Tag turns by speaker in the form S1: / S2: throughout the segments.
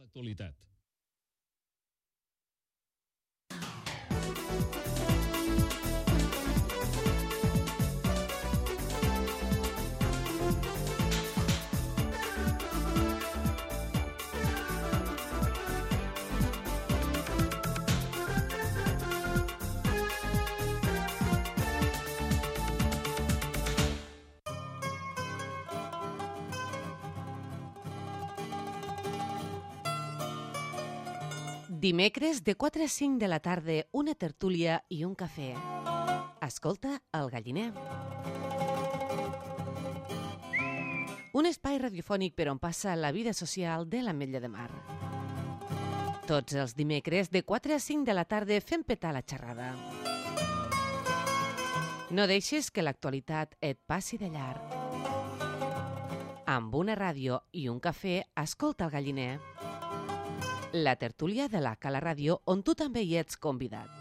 S1: l'actualitat.
S2: Dimecres de 4 a 5 de la tarda, una tertúlia i un cafè. Escolta El Galliner. Un espai radiofònic per on passa la vida social de l'Ametlla de Mar. Tots els dimecres de 4 a 5 de la tarda fem petar la xerrada. No deixes que l'actualitat et passi de llarg. Amb una ràdio i un cafè, escolta El Galliner. La tertúlia de la Cala Ràdio, on tu també hi ets convidat.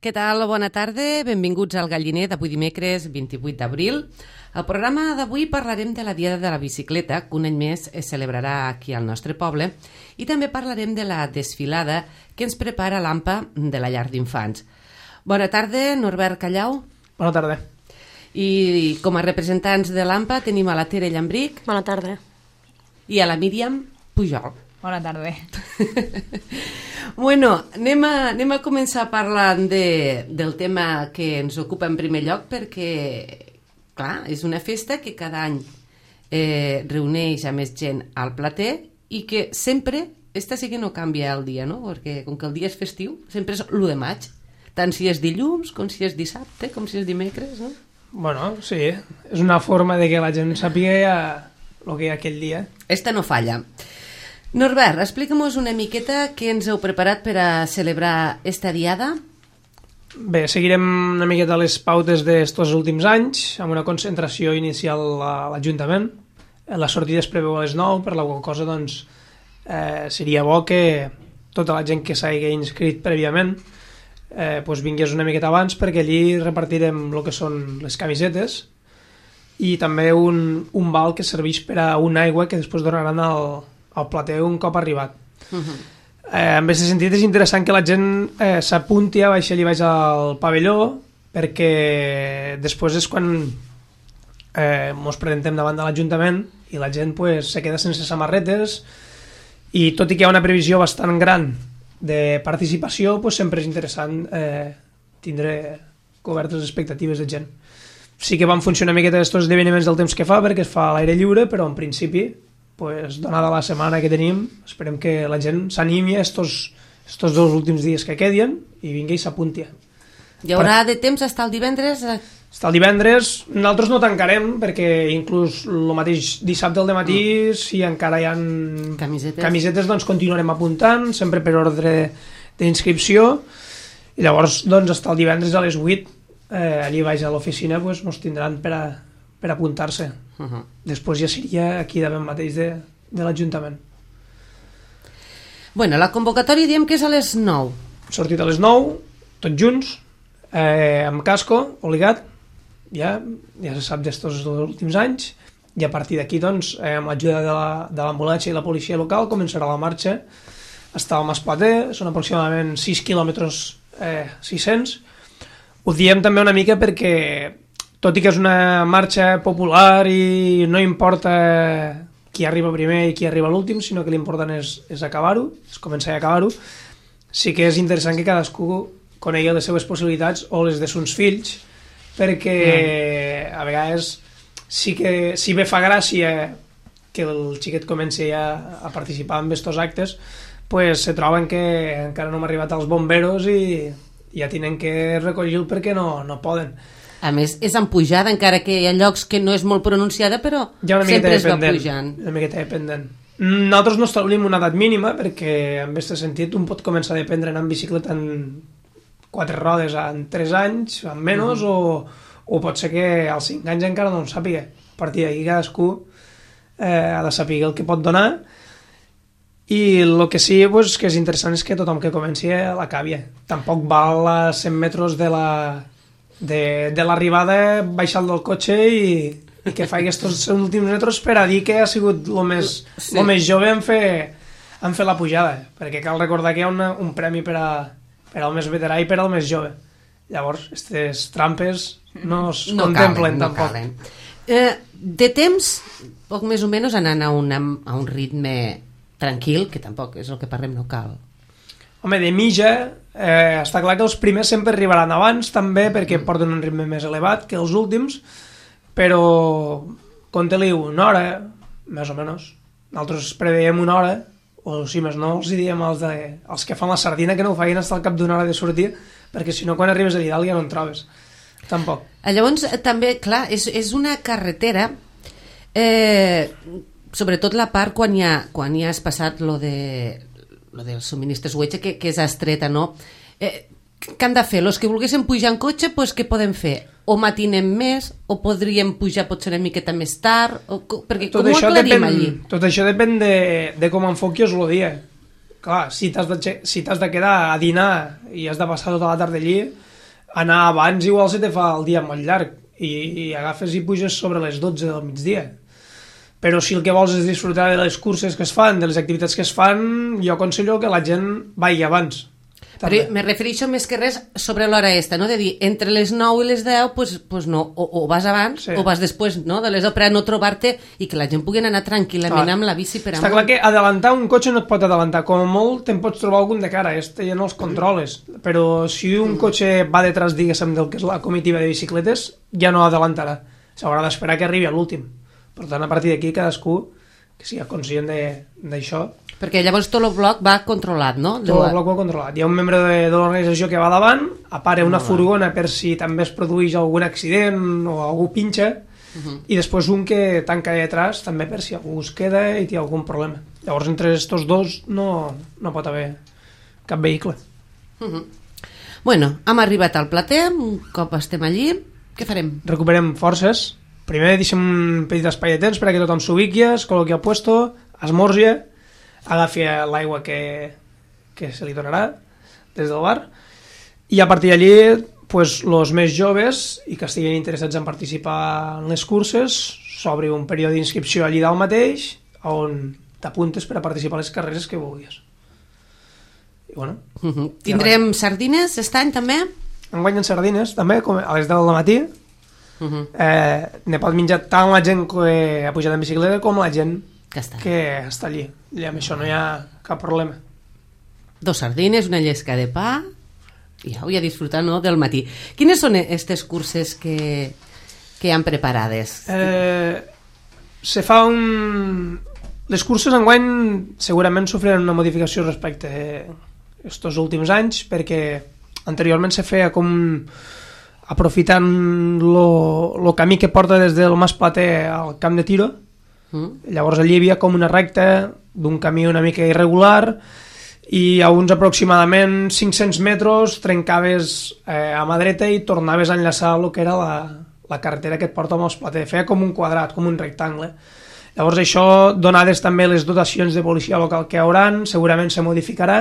S2: Què tal? Bona tarda, benvinguts al Galliner d'avui dimecres 28 d'abril. Al programa d'avui parlarem de la Diada de la Bicicleta, que un any més es celebrarà aquí al nostre poble, i també parlarem de la desfilada que ens prepara l'AMPA de la llar d'infants. Bona tarda, Norbert Callau.
S3: Bona tarda.
S2: I com a representants de l'AMPA tenim a la Tere Llambric.
S4: Bona tarda.
S2: I a la Míriam Pujol.
S5: Bona tarda.
S2: Bueno, anem a començar parlant del tema que ens ocupa en primer lloc perquè, clar, és una festa que cada any reuneix a més gent al plater i que sempre, esta sí que no canvia el dia, no? Perquè com que el dia és festiu, sempre és l'1 de maig, tant si és dilluns com si és dissabte, com si és dimecres, no?
S3: Bueno, sí, és una forma de que la gent sàpiga el que hi ha aquell dia.
S2: Esta no falla. Norbert, explica'm-nos una miqueta què ens heu preparat per a celebrar esta diada.
S3: Bé, seguirem una miqueta les pautes d'estos últims anys, amb una concentració inicial a l'Ajuntament. La sortida es preveu a les 9, per la qual cosa doncs, seria bo que tota la gent que s'hagi inscrit prèviament doncs vingués una miqueta abans, perquè allí repartirem el que són les camisetes i també un val que serveix per a una aigua que després donaran al plater un cop arribat. En aquest sentit és interessant que la gent s'apunti a baixar allí baix al pavelló perquè després és quan ens presentem davant de l'Ajuntament i la gent pues, se queda sense samarretes, i tot i que hi ha una previsió bastant gran de participació, pues, sempre és interessant tindre cobertes les expectatives de gent. Sí que van funcionar una miqueta aquests esdeveniments del temps que fa, perquè es fa a l'aire lliure, però en principi, pues, donada la setmana que tenim, esperem que la gent s'animi estos 2 últims dies que quedien i vingui i s'apunti.
S2: Hi haurà de temps fins al divendres?
S3: Fins al divendres. Nosaltres no tancarem, perquè inclús el mateix dissabte al dematí, si encara hi ha camisetes, doncs continuarem apuntant, sempre per ordre d'inscripció, i llavors doncs fins al divendres a les 8 allí baix a l'oficina pues, ens tindran per apuntar-se. Després ja seria aquí davant mateix de l'Ajuntament.
S2: Bueno, la convocatòria diem que és a les 9.
S3: Sortit a les 9, tots junts, amb casco, obligat, ja se sap d'estos últims anys, i a partir d'aquí, doncs, amb l'ajuda de l'ambulància i la policia local, començarà la marxa fins al Mas Plater, són aproximadament 6 quilòmetres 600. Ho diem també una mica perquè, tot i que és una marxa popular i no importa qui arriba primer i qui arriba l'últim, sinó que l'important és acabar-ho, és començar i acabar-ho, sí que és interessant que cadascú conegui les seves possibilitats o les de sus fills, perquè a vegades sí que si bé fa gràcia que el xiquet comenci a participar en aquests actes, pues se troben que encara no hem arribat als bomberos i ja tenen que recollir-lo perquè no poden.
S2: A més, és en pujada, encara que hi ha llocs que no és molt pronunciada, però sempre es va pujant.
S3: Una miqueta dependent. Nosaltres no establim una edat mínima perquè en aquest sentit un pot començar a aprendre a anar en bicicleta en 4 rodes en 3 anys, en menys, o pot ser que als 5 anys encara no en sàpiga. A partir d'aquí cadascú ha de saber el que pot donar, i el que sí pues, que és interessant és que tothom que comenci l'acabi. Tampoc val a 100 metres de l'arribada baixar del cotxe i que faci aquests últims metres per a dir que ha sigut el més jove en fer la pujada, perquè cal recordar que hi ha un premi per al més veterà i per al més jove. Llavors, aquestes trampes no es contemplen tampoc.
S2: De temps, poc més o menys anant a un ritme tranquil, que tampoc és el que parlem, no cal.
S3: Home, de mitja, està clar que els primers sempre arribaran abans, també, perquè porten un ritme més elevat que els últims, però compte-li una hora, més o menys. Nosaltres preveiem una hora, o si més no, els diem als que fan la sardina que no ho facin fins al cap d'una hora de sortir, perquè si no, quan arribes a Didal ja no en trobes. Tampoc.
S2: Llavors, també, clar, és una carretera, sobretot la part quan ja has passat lo dels subministres UEG, que és estreta, no? Què han de fer? Els que volguessin pujar en cotxe, pues, què poden fer? O matinem més, o podríem pujar potser una miqueta més tard, perquè com ho aclarim allí?
S3: Tot això depèn de com enfoquis el dia. Clar, si t'has de quedar a dinar i has de passar tota la tarda allí, anar abans igual se te fa el dia molt llarg i agafes i puges sobre les 12 del migdia. Però si el que vols és disfrutar de les curses que es fan, de les activitats que es fan, jo aconsello que la gent vagi abans.
S2: Però me refereixo més que res sobre l'hora esta, no? De dir, entre les 9 i les 10, pues no, o vas abans o vas després, no? De les 10 per a no trobar-te i que la gent pugui anar tranquil·lament amb la bici per amunt.
S3: Està clar que adelantar un cotxe no et pot adelantar, com a molt te'n pots trobar algun de cara, ja no els controles, però si un cotxe va detrás, diguéssim, del que és la comitiva de bicicletes, ja no adelantarà, s'haurà d'esperar que arribi a l'últim. Per tant, a partir d'aquí cadascú que sigui conscient d'això.
S2: Perquè llavors tot el bloc va controlat, no?
S3: Tot el bloc va controlat. Hi ha un membre de l'organització que va davant, apara una furgona per si també es produeix algun accident o algú pinxa, i després un que tanca detrás també per si algú es queda i té algun problema. Llavors, entre aquests dos no pot haver cap vehicle.
S2: Bueno, hem arribat al Plater, un cop estem allí, què farem?
S3: Recuperem forces. Primer deixem un petit espai de temps perquè tothom s'ubiqui, es col·loqui al puesto, esmorgi, agafi l'aigua que se li donarà des del bar, i a partir d'allí els més joves i que estiguin interessats en participar en les curses, s'obri un període d'inscripció allí dalt mateix on t'apuntes per a participar a les carreres que vulguis. I bueno,
S2: tindrem sardines aquest any també?
S3: enguany en sardines, també, com a les 10 del matí. Ne pot menjar tant la gent que ha pujat en bicicleta com la gent que està allí. I amb això no hi ha cap problema.
S2: 2 sardines, una llesca de pa i ja disfrutar, no, del matí. Quines són aquestes curses que hi han preparades?
S3: Se fa les curses enguany segurament sofriran una modificació respecte a estos últims anys, perquè anteriorment se feia com aprofitant el camí que porta des del Mas Plater al camp de tiro. Llavors allí hi havia com una recta d'un camí una mica irregular i a uns aproximadament 500 metres trencaves a mà dreta i tornaves a enllaçar el que era la carretera que et porta al Mas Plater. Feia com un quadrat, com un rectangle. Llavors això, donades també les dotacions de policia local que hi hauran, segurament se modificarà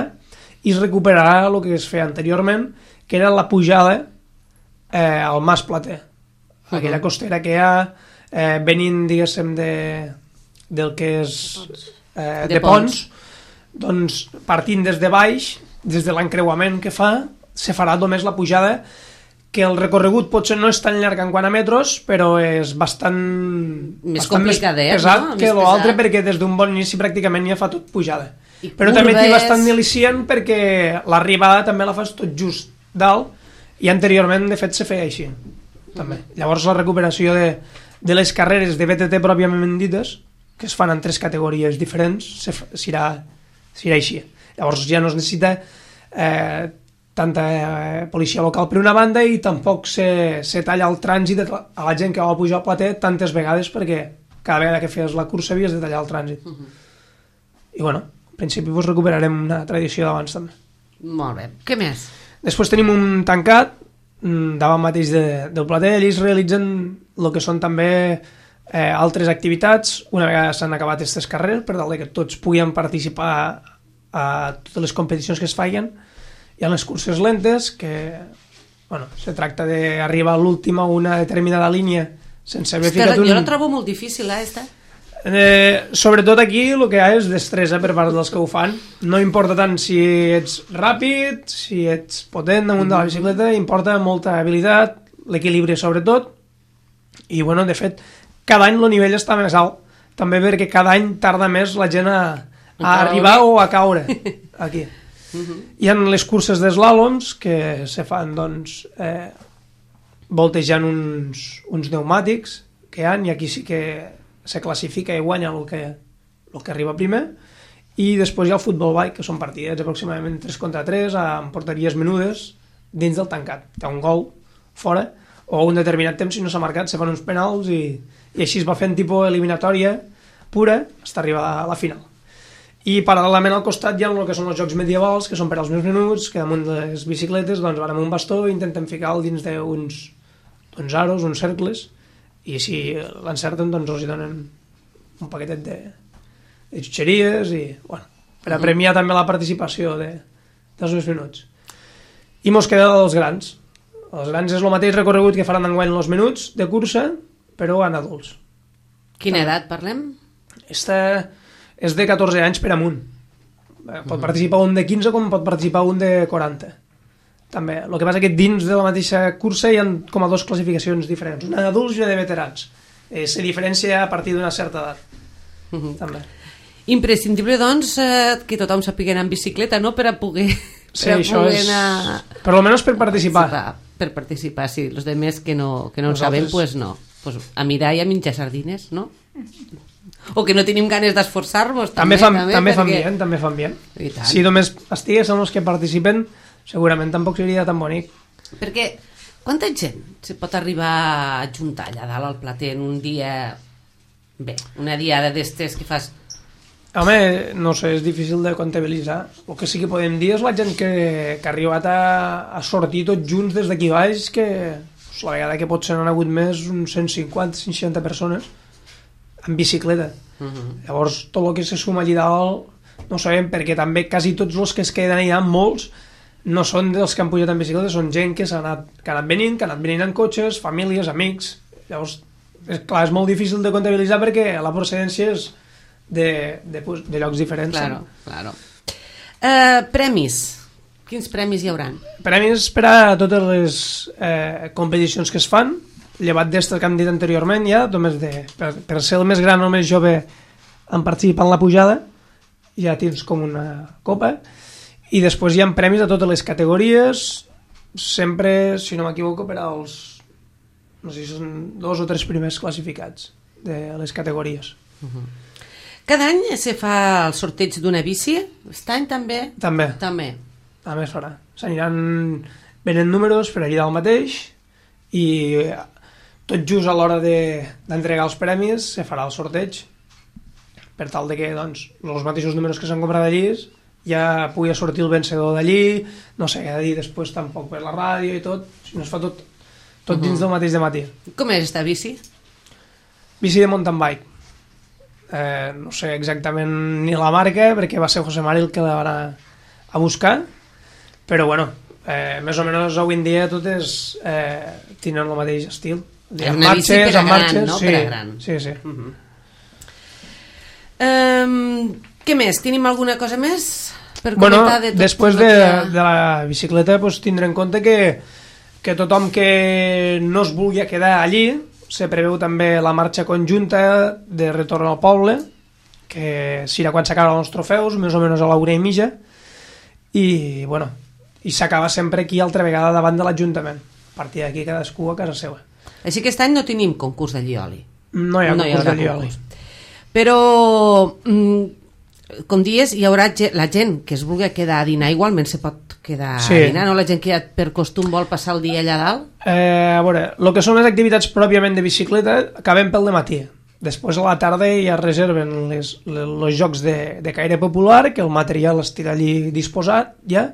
S3: i es recuperarà el que es feia anteriorment, que era la pujada al Mas Plater. Aquella costera que hi ha venint, diguéssim, del que és de Ponts, doncs partint des de baix, des de l'encreuament que fa, se farà només la pujada, que el recorregut potser no és tan llarg en quant a metres, però és bastant
S2: més complicadet,
S3: pesat,
S2: no?
S3: Que l'altre, perquè des d'un bon inici pràcticament ja fa tot pujada. Però també té bastant delicient perquè l'arribada també la fas tot just dalt i anteriorment de fet se feia així també. Llavors la recuperació de les carreres de BTT pròpiament dites, que es fan en 3 categories diferents, serà així. Llavors ja no es necessita tanta policia local per una banda i tampoc se talla el trànsit a la gent que va pujar al Plater tantes vegades, perquè cada vegada que feies la cursa havies de tallar el trànsit. I bueno, en principi recuperarem una tradició d'abans també.
S2: Molt bé. Què més?
S3: Després tenim un tancat davant mateix del Plater. Allí es realitzen el que són també altres activitats una vegada s'han acabat aquestes carreres, per tal que tots puguin participar a totes les competicions que es feien. Hi ha les curses lentes, que se tracta d'arribar a l'última a una determinada línia sense haver ficat un...
S2: Jo la trobo molt difícil, esta.
S3: Sobretot aquí el que hi ha és destresa per part dels que ho fan. No importa tant si ets ràpid, si ets potent damunt de la bicicleta, importa molta habilitat, l'equilibri sobretot, i bueno, de fet cada any el nivell està més alt, també perquè cada any tarda més la gent a arribar o a caure aquí. Hi ha les curses d'eslàloms que se fan doncs voltejant uns pneumàtics que hi ha, i aquí sí que se classifica i guanya el que arriba primer, i després hi ha el futbol bike, que són partidets aproximadament 3 contra 3 amb porteries menudes dins del tancat. Hi ha un gol fora o un determinat temps, si no s'ha marcat se fan uns penals i així es va fent tipus eliminatòria pura fins a arribar a la final. I paral·lelament al costat hi ha el que són els jocs medievals, que són per als més menuts, que damunt de les bicicletes doncs van amb un bastó i intentem ficar-lo dins d'uns aros, uns cercles, i si l'encerten doncs els hi donen un paquetet de xutxeries i bueno, per a premiar també la participació dels més menuts. I mos queda els grans. Els grans és el mateix recorregut que faran enguany els menuts de cursa, però en adults.
S2: Quina edat parlem?
S3: Esta és de 14 anys per amunt. Pot participar un de 15 com pot participar un de 40. També. El que passa que dins de la mateixa cursa hi ha com a 2 classificacions diferents, una d'adults i una de veterans. Se diferencia a partir d'una certa edat. També.
S2: Imprescindible, doncs, que tothom sàpiga anar en bicicleta, no?, per a poder...
S3: Sí, això és... Per almenys per participar.
S2: Per participar, sí. Els demés que no ho sabem, doncs no. Pues a mirar i a menjar sardines, no? O que no tenim ganes d'esforçar-nos.
S3: També fan bien. Si només estiguessin els que participen, segurament tampoc seria tan bonic.
S2: Perquè quanta gent se pot arribar a juntar allà dalt al Plater en un dia... Bé, una diada d'estes que fas...
S3: Home, no sé, és difícil de comptabilitzar. El que sí que podem dir és la gent que ha arribat a sortir tots junts des d'aquí baix, que la vegada que potser n'han hagut més, uns 150-160 persones en bicicleta. Llavors, tot el que se suma allà dalt no sabem, perquè també quasi tots els que es queden allà, molts, no són dels que han pujat en bicicleta, són gent que ha anat venint en cotxes, famílies, amics. Llavors, clar, és molt difícil de comptabilitzar perquè la procedència és de llocs diferents.
S2: Claro. Premis. Quins premis hi hauran?
S3: Premis per a totes les competicions que es fan, llevat d'estes que hem dit anteriorment ja, només per ser el més gran o el més jove en participar en la pujada, ja tens com una copa, i després hi ha premis a totes les categories, sempre, si no m'equivoco, per als, no sé si són 2 o 3 primers classificats de les categories.
S2: Cada any se fa el sorteig d'una bici? Aquest any també?
S3: També es farà. S'aniran venent números per allà del mateix i tot just a l'hora d'entregar els premis se farà el sorteig per tal de que doncs, els mateixos números que s'han comprat allí ja pugui sortir el vencedor d'allí, no sé què dir després tampoc per la ràdio i tot, sinó es fa tot dins del mateix de matí.
S2: Com és esta bici?
S3: Bici de mountain bike. No sé exactament ni la marca perquè va ser José Mari el que la va anar a buscar, però bueno, més o menys avui en dia totes tenen el mateix estil.
S2: És una bici per a gran, no?
S3: Sí,
S2: per a gran.
S3: Sí.
S2: Què més? Tenim alguna cosa més per comentar de tot?
S3: Després de la bicicleta pues, tindré en compte que tothom que no es vulgui quedar allí, se preveu també la marxa conjunta de retorn al poble, que serà quan s'acaben els trofeus, més o menys a l'hora i mitja, i bueno, i s'acaba sempre aquí altra vegada davant de l'Ajuntament. A partir d'aquí cadascú a casa seva.
S2: Així que aquest any no tenim concurs de llioli.
S3: No hi ha concurs de llioli.
S2: Però, com dius, hi haurà la gent que es vulgui quedar a dinar, igualment se pot quedar a dinar, no? La gent que ja per costum vol passar el dia allà dalt?
S3: A veure, el que són les activitats pròpiament de bicicleta acabem pel dematí. Després a la tarda ja reserven els jocs de caire popular, que el material estirà allí disposat ja,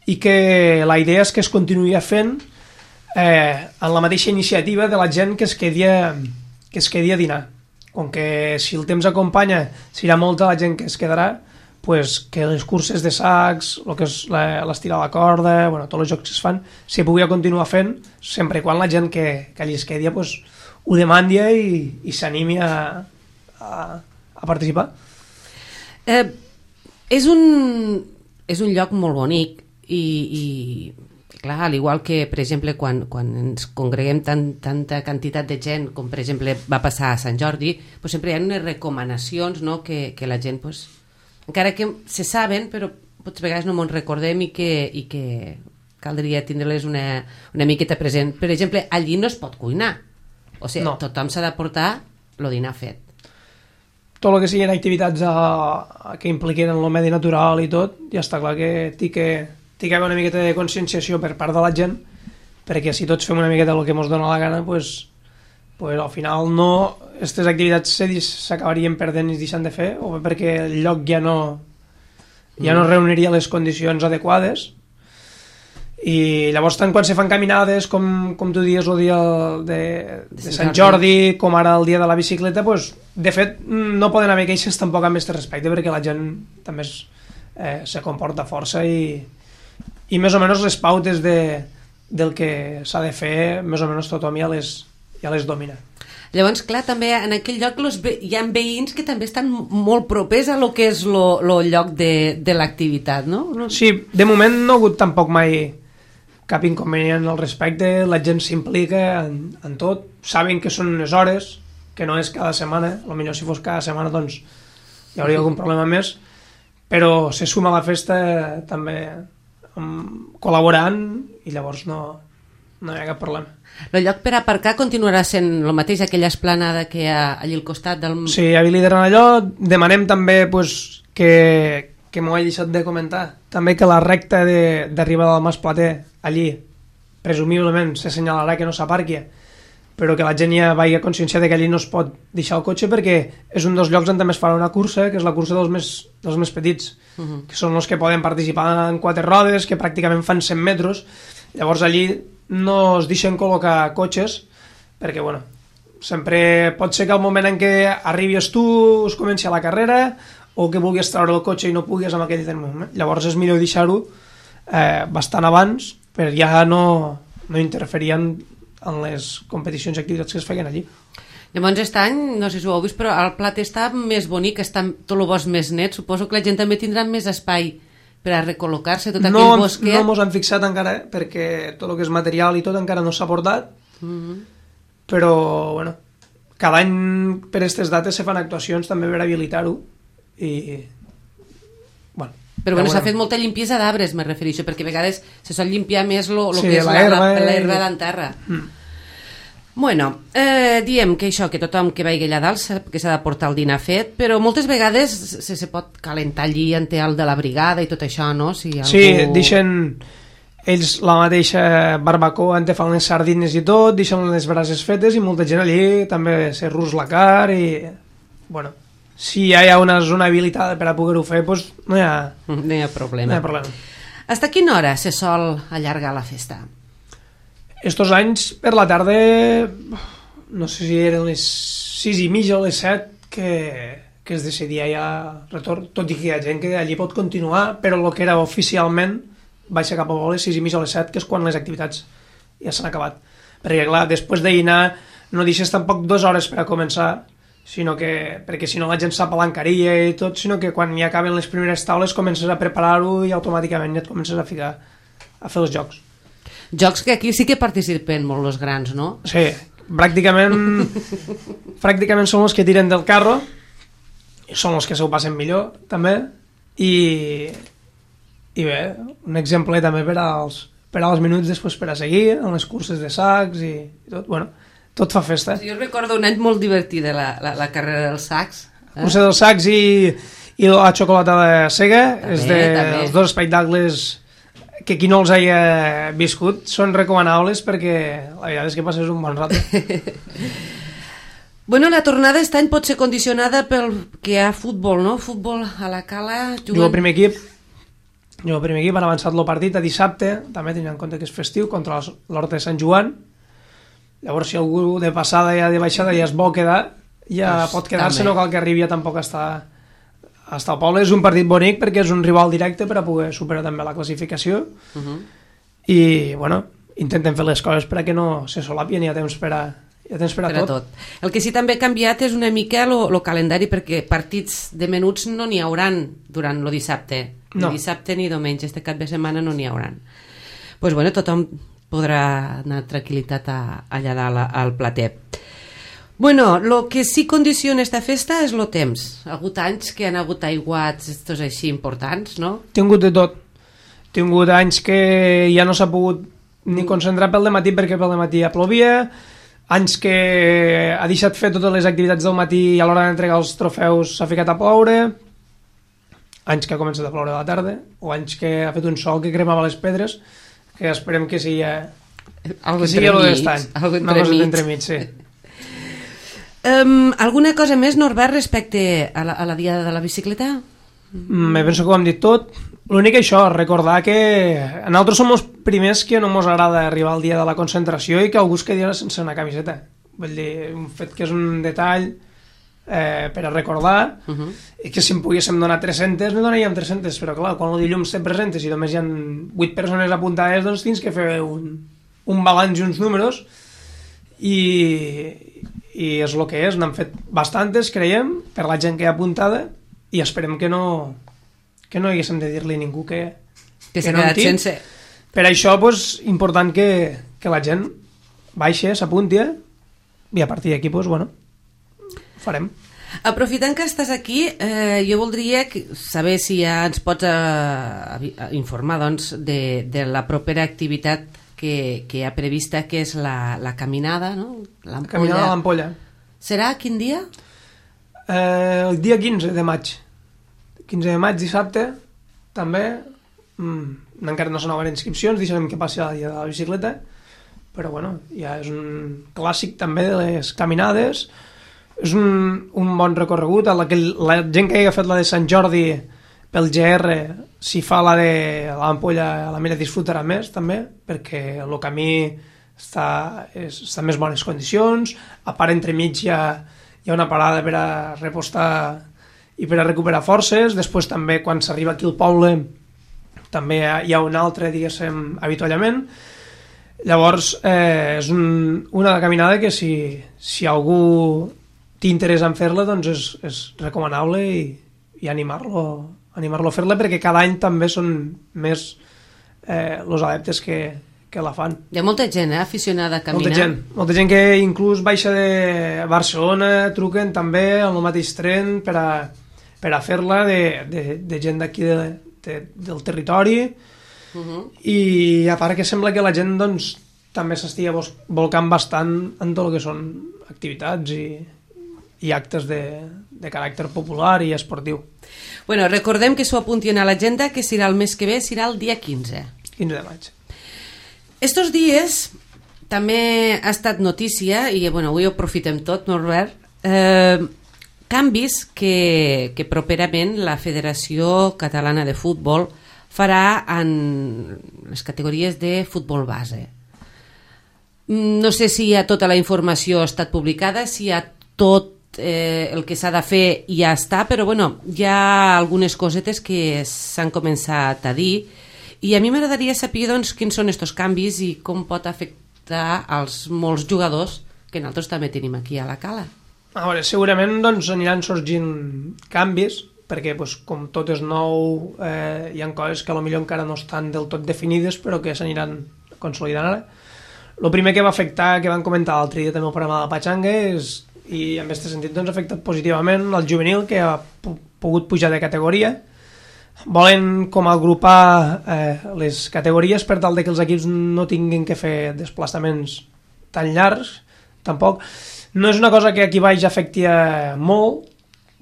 S3: i que la idea és que es continuï fent en la mateixa iniciativa de la gent que es quedi a dinar. Com que si el temps acompanya serà molta la gent que es quedarà, pues, que les curses de sacs, el que és l'estirar la corda, bueno, tots els jocs que es fan, se pugui continuar fent sempre i quan la gent que allí es quedi pues, ho demandi i s'animi a participar.
S2: És un lloc molt bonic i clar, al igual que, per exemple, quan ens congreguem tanta quantitat de gent, com per exemple va passar a Sant Jordi, pues sempre hi ha unes recomanacions, no?, que la gent, pues, encara que se saben, però potser vegades no me'n recordem i que caldria tindre-les una miqueta present. Per exemple, allí no es pot cuinar. O sigui, no. Tothom s'ha de portar el dinar fet.
S3: Tot el que siguin activitats que impliquen el medi natural i tot, ja està clar que té que haver una miqueta de conscienciació per part de la gent, perquè si tots fem una miqueta el que ens dona la gana, pues al final aquestes activitats s'acabarien perdent i es deixant de fer, o bé perquè el lloc ja no reuniria les condicions adequades. I llavors tant quan se fan caminades com tu dius el dia de Sant Jordi, com ara el dia de la bicicleta, pues, de fet no poden haver queixes tampoc amb aquest respecte, perquè la gent també se comporta força i més o menys les pautes del que s'ha de fer més o menys tothom ja les domina.
S2: Llavors, clar, també en aquell lloc hi ha veïns que també estan molt propers a lo que és el lloc de l'activitat, no?
S3: Sí, de moment no ha hagut tampoc mai cap inconvenient al respecte, la gent s'implica en tot, saben que són unes hores, que no és cada setmana, potser si fos cada setmana doncs hi hauria algun problema més, però se suma a la festa també col·laborant i llavors no hi ha cap problema.
S2: El lloc per aparcar continuarà sent el mateix, aquella esplanada que hi ha allà al costat del...
S3: Sí, habilitaran allò, demanem també pues, que m'ho he deixat de comentar, també que la recta d'arribada del Mas Plater, allí, presumiblement s'assenyalarà que no s'aparqui, però que la gent ja vagi conscienciada que allí no es pot deixar el cotxe perquè és un dels llocs on també es farà una cursa, que és la cursa dels més petits, que són els que poden participar en 4 rodes, que pràcticament fan 100 metres, llavors allí no es deixen col·locar cotxes, perquè bueno, sempre pot ser que al moment en què arribis tu es comenci a la carrera, o que vulguis treure el cotxe i no puguis en aquell moment. Llavors és millor deixar-ho bastant abans per ja no interferir en les competicions i activitats que es feien allí.
S2: Llavors aquest any, no sé si ho heu vist, però el plat està més bonic, està tot el bosc més net, suposo que la gent també tindrà més espai per a recol·locar-se tot aquell bosquet?
S3: No ens han fixat encara, perquè tot el que és material i tot encara no s'ha portat, però, bueno, cada any per aquestes dates se fan actuacions també per habilitar-ho i, bueno...
S2: Però bueno, s'ha fet molta limpiesa d'arbres, me refereixo, perquè a vegades se sol limpiar més lo
S3: sí,
S2: que és l'herba d'en terra. Bueno, diem que això, que tothom que vagi allà dalt que s'ha de portar el dinar fet, però moltes vegades se pot calentar allí ante el de la brigada i tot això, no? Si algú...
S3: Sí, deixen ells la mateixa barbacoa on te fan les sardines i tot, deixen les brases fetes i molta gent allí també se rus la car i, bueno, si hi ha una zona habilitada per a poder-ho fer, doncs no hi ha problema.
S2: Hasta quina hora se sol allargar la festa?
S3: Estos anys, per la tarda, no sé si eren les 6:30 o les 7 que es decidia ja retorn, tot i que hi ha gent que allí pot continuar, però el que era oficialment baixa cap a les 6:30 o les 7, que és quan les activitats ja s'han acabat. Perquè, clar, després de dinar no deixes tampoc 2 hores per a començar, sinó que, perquè si no la gent s'apalancaria i tot, sinó que quan ja acaben les primeres taules comences a preparar-ho i automàticament ja et comences a ficar a fer els jocs.
S2: Jocs que aquí sí que participen molt els grans, no?
S3: Sí, pràcticament són els que tiren del carro, i són els que s'ho passen millor, també, i bé, un exemple també per als minuts després per a seguir, en les curses de sacs i tot, bueno, tot fa festa.
S2: Jo recordo un any molt divertit de la carrera dels sacs.
S3: Cursa dels sacs i la xocolata de Sega, és dels dos espectacles que qui no els hagi viscut són recomanables perquè la veritat és que passes un bon rato.
S2: Bueno, la tornada aquest any pot ser condicionada pel que hi ha futbol, no? Futbol a la Cala...
S3: Jugo al primer equip, han avançat el partit a dissabte, també tenint en compte que és festiu, contra l'Horta de Sant Joan. Llavors, si algú de passada ja de baixada ja es vol quedar, ja pot quedar-se, no cal que arribi ja tampoc a estar al poble. És un partit bonic perquè és un rival directe per a poder superar també la classificació i, bueno, intentem fer les coses per a que no se solapien i hi ha temps per a tot.
S2: El que sí també ha canviat és una mica el calendari, perquè partits de menuts no n'hi hauran durant el dissabte. Ni dissabte ni diumenge, este cap de setmana no n'hi hauran. Doncs bueno, tothom podrà anar tranquil·litat allà dalt al plater. Bueno, el que sí condiciona esta festa és el temps. Ha hagut anys que han hagut aiguats estos així importants, no?
S3: He tingut de tot. He tingut anys que ja no s'ha pogut ni concentrar pel dematí perquè pel dematí ja plovia, anys que ha deixat fer totes les activitats del matí i a l'hora d'entregar els trofeus s'ha ficat a ploure, anys que ha començat a ploure a la tarda, o anys que ha fet un sol que cremava les pedres, que esperem que sigui el d'estany. Una cosa d'entremig, sí.
S2: Alguna cosa més, Norbert, respecte a la diada de la bicicleta?
S3: Me penso que ho hem dit tot. L'únic això, recordar que nosaltres som els primers que no ens agrada arribar al dia de la concentració i que algú es quedi sense una camiseta. Vull dir, un fet que és un detall per a recordar, i que si en poguéssim donar 300, ne donaríem 300, però clar, quan el dilluns te presentes i només hi ha 8 persones apuntades, doncs tens que fer un balanç i uns números, i és el que és. N'han fet bastantes, creiem, per la gent que hi ha apuntada, i esperem que no haguéssim de dir-li a ningú que
S2: s'ha quedat sense.
S3: Per això, doncs, important que la gent baixa, s'apunti, i a partir d'aquí, doncs, bueno, farem.
S2: Aprofitant que estàs aquí, jo voldria saber si ja ens pots informar, doncs, de la propera activitat que hi ha prevista, que és la caminada, no?
S3: La caminada a l'Ampolla.
S2: Serà quin dia?
S3: El dia 15 de maig. 15 de maig, dissabte, també. Encara no s'han obert inscripcions, deixarem que passi el dia de la bicicleta, però bueno, ja és un clàssic també de les caminades. És un bon recorregut. La gent que hagi fet la de Sant Jordi pel GR, si fa la de l'Ampolla, la mira disfrutarà més també, perquè el camí està en més bones condicions. A part, entremig hi ha una parada per a repostar i per a recuperar forces. Després també, quan s'arriba aquí al poble, també hi ha un altre, diguéssim, avituallament. Llavors, és una caminada que si algú té interès en fer-la, doncs és recomanable, i animar-lo animar-lo a fer-la, perquè cada any també són més els adeptes que la fan.
S2: Hi ha molta gent aficionada a caminar.
S3: Molta gent que inclús baixa de Barcelona, truquen també en el mateix tren per a fer-la, de gent d'aquí del territori. I a part que sembla que la gent doncs, també s'estigui volcant bastant en tot el que són activitats i actes de caràcter popular i esportiu.
S2: Bueno, recordem que s'ho apuntin a l'agenda, que serà el mes que ve, serà el dia 15.
S3: 15 de maig.
S2: Estos dies també ha estat notícia, i bueno, avui ho aprofitem tot, Norbert, canvis que properament la Federació Catalana de Futbol farà en les categories de futbol base. No sé si ja tota la informació ha estat publicada, si ja tot el que s'ha de fer ja està, però bueno, hi ha algunes cosetes que s'han començat a dir, i a mi m'agradaria saber doncs, quins són aquests canvis i com pot afectar als molts jugadors que nosaltres també tenim aquí a la Cala.
S3: A veure, segurament doncs, aniran sorgint canvis, perquè doncs, com tot és nou, hi ha coses que potser encara no estan del tot definides, però que s'aniran consolidant ara. El primer que va afectar, que van comentar l'altre dia també el programa de la Pachanga, i en aquest sentit doncs, ha afectat positivament el juvenil, que ha pogut pujar de categoria. Volen com agrupar les categories per tal de que els equips no tinguin que fer desplaçaments tan llargs, tampoc. No és una cosa que aquí baix afecti molt,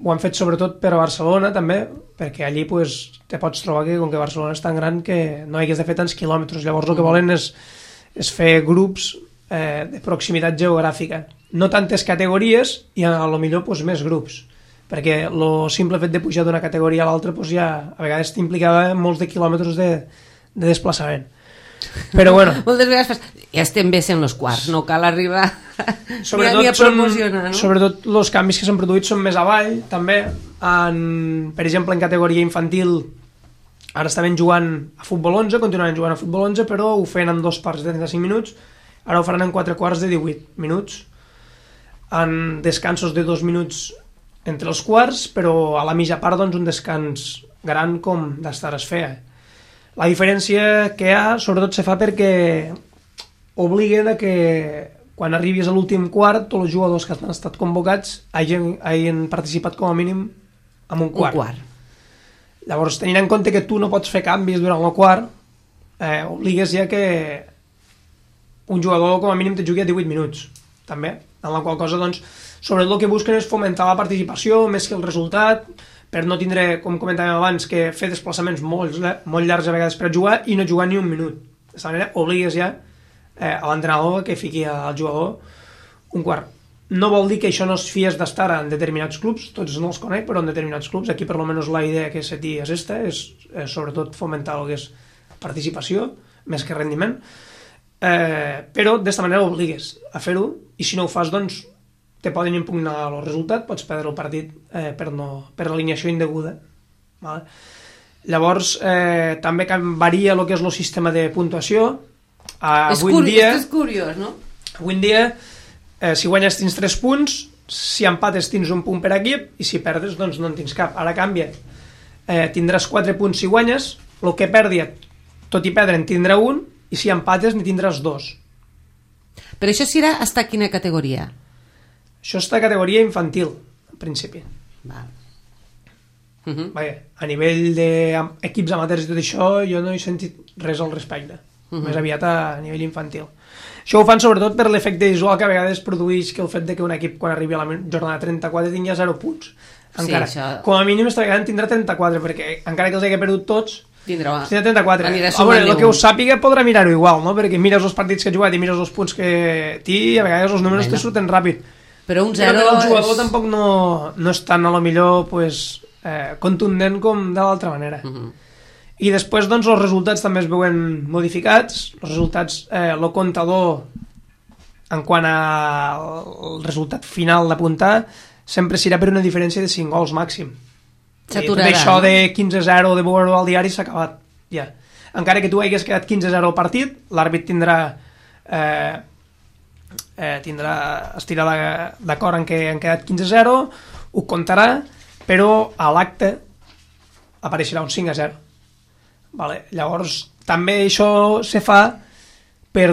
S3: ho han fet sobretot per a Barcelona també, perquè allí pues, te pots trobar que com que Barcelona és tan gran que no hagués de fer tants quilòmetres, llavors el que volen és fer grups de proximitat geogràfica, no tantes categories i a lo millor pues, més grups, perquè el simple fet de pujar d'una categoria a l'altra pues, ja a vegades t'implicava molts de quilòmetres de desplaçament. Però bueno,
S2: moltes vegades ja estem bé sent els quarts, no cal arribar ni a promocionar, no?
S3: Sobretot els canvis que s'han produït són més avall també, per exemple en categoria infantil ara estaven jugant a futbol 11, continuaven jugant a futbol 11, però ho feien en 2 parts de 35 minuts, ara ho faran en 4 quarts de 18 minuts, en descansos de 2 minuts entre els quarts, però a la mitja part doncs, un descans gran com d'estar es feia. La diferència que hi ha, sobretot se fa perquè obliguen a que quan arribis a l'últim quart tots els jugadors que han estat convocats hagin participat com a mínim en un quart. Llavors, tenint en compte que tu no pots fer canvis durant el quart, obligues ja que un jugador com a mínim te jugui a 18 minuts, també, en la qual cosa, doncs, sobretot el que busquen és fomentar la participació més que el resultat, per no tindre, com comentàvem abans, que fer desplaçaments molt llargs a vegades per jugar i no jugar ni un minut. D'aquesta manera obligues ja a l'entrenador que fiqui al jugador un quart. No vol dir que això no es fies d'estar en determinats clubs, tots no els conec, però en determinats clubs, aquí per almenys la idea que se té és esta, és sobretot fomentar el que és participació, més que rendiment, però d'aquesta manera obligues a fer-ho, i si no ho fas, doncs, te poden impugnar el resultat, pots perdre el partit per alineació indeguda. Vale? Llavors, també varia el que és el sistema de puntuació.
S2: És curiós, no?
S3: Avui en dia, si guanyes tens 3 punts, si empates tens un punt per equip, i si perdes, doncs no en tens cap. Ara canvia. Tindràs 4 punts si guanyes, el que perdi, tot i perdre, en tindrà un, i si empates, n'hi tindràs 2.
S2: Però això serà hasta quina categoria?
S3: Això està a categoria infantil, en principi.
S2: Val.
S3: Vaja, a nivell d'equips amateurs i tot això, jo no he sentit res al respecte. Més aviat a nivell infantil. Això ho fan sobretot per l'efecte visual que a vegades produeix que el fet de que un equip, quan arribi a la jornada 34, tingui 0 punts. Encara. Sí, això... Com a mínim, esta vegada en tindrà 34, perquè encara que els hagi perdut tots, tindrà 34. A veure, el que ho sàpiga podrà mirar-ho igual, no? Perquè mires els partits que ha jugat i mires els punts que té, i a vegades els números te surten ràpid.
S2: Però un 0
S3: el jugador tampoc no és tan a lo millor pues, contundent com de l'altra manera. I després doncs, els resultats també es veuen modificats. Els resultats, el comptador en quant al resultat final d'apuntar sempre serà per una diferència de 5 gols màxim.
S2: S'aturarà,
S3: això de 15-0 de veure al diari s'ha acabat ja. Encara que tu hagués quedat 15-0 al partit, l'àrbit tindrà estirà d'acord en què han quedat 15-0, ho comptarà, però a l'acte apareixerà un 5-0. Vale? Llavors, també això se fa per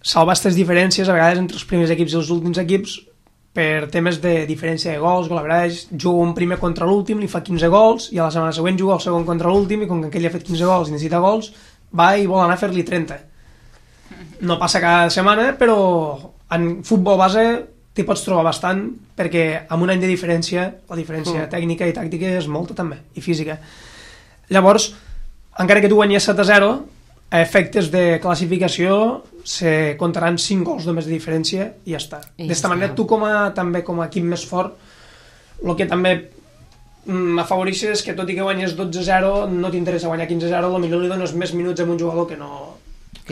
S3: salvar aquestes diferències a vegades entre els primers equips i els últims equips, per temes de diferència de gols, gol average, juga un primer contra l'últim, li fa 15 gols, i a la setmana següent juga el segon contra l'últim, i com que aquell ha fet 15 gols i necessita gols, va i vol anar a fer-li 30. No passa cada setmana, però en futbol base t'hi pots trobar bastant, perquè amb un any de diferència, la diferència tècnica i tàctica és molta també, i física. Llavors, encara que tu guanyes 7-0, a efectes de classificació se comptaran 5 gols només de diferència i ja està. D'esta manera tu també com a equip més fort, el que també m'afavoreix és que tot i que guanyes 12-0 no t'interessa guanyar 15-0, potser li dones més minuts a un jugador que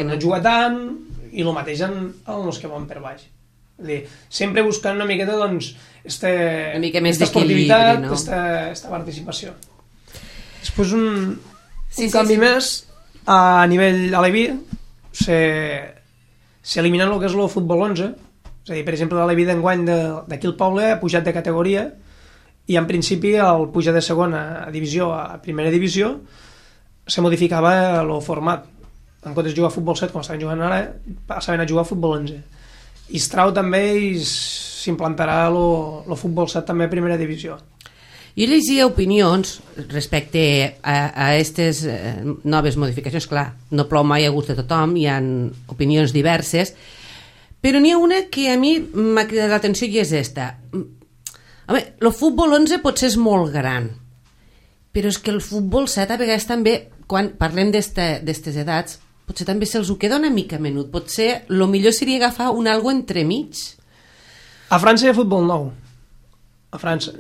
S3: no juga tant, i el mateix en els que van per baix. Sempre buscant una miqueta una mica més d'esportivitat, no? Esta participació. Després un canvi més a nivell aleví s'eliminen el que és el futbol 11, és a dir, per exemple l'aleví d'enguany d'aquí el poble ha pujat de categoria, i en principi al pujar de segona divisió a primera divisió se modificava el format, en comptes de jugar a futbol 7 com estaven jugant ara, passaven a jugar a futbol 11, i es trau també i s'implantarà el futbol 7 també a primera divisió.
S2: Jo llegia opinions respecte a aquestes noves modificacions. Clar, no plou mai a gust de tothom, hi ha opinions diverses, però n'hi ha una que a mi m'ha cridat l'atenció i és esta. Home, el futbol 11 potser és molt gran, però és que el futbol 7 a vegades també, quan parlem d'aquestes edats, potser també se'ls ho queda una mica menut. Potser el millor seria agafar un algo entremig.
S3: A França hi ha futbol 9. A França.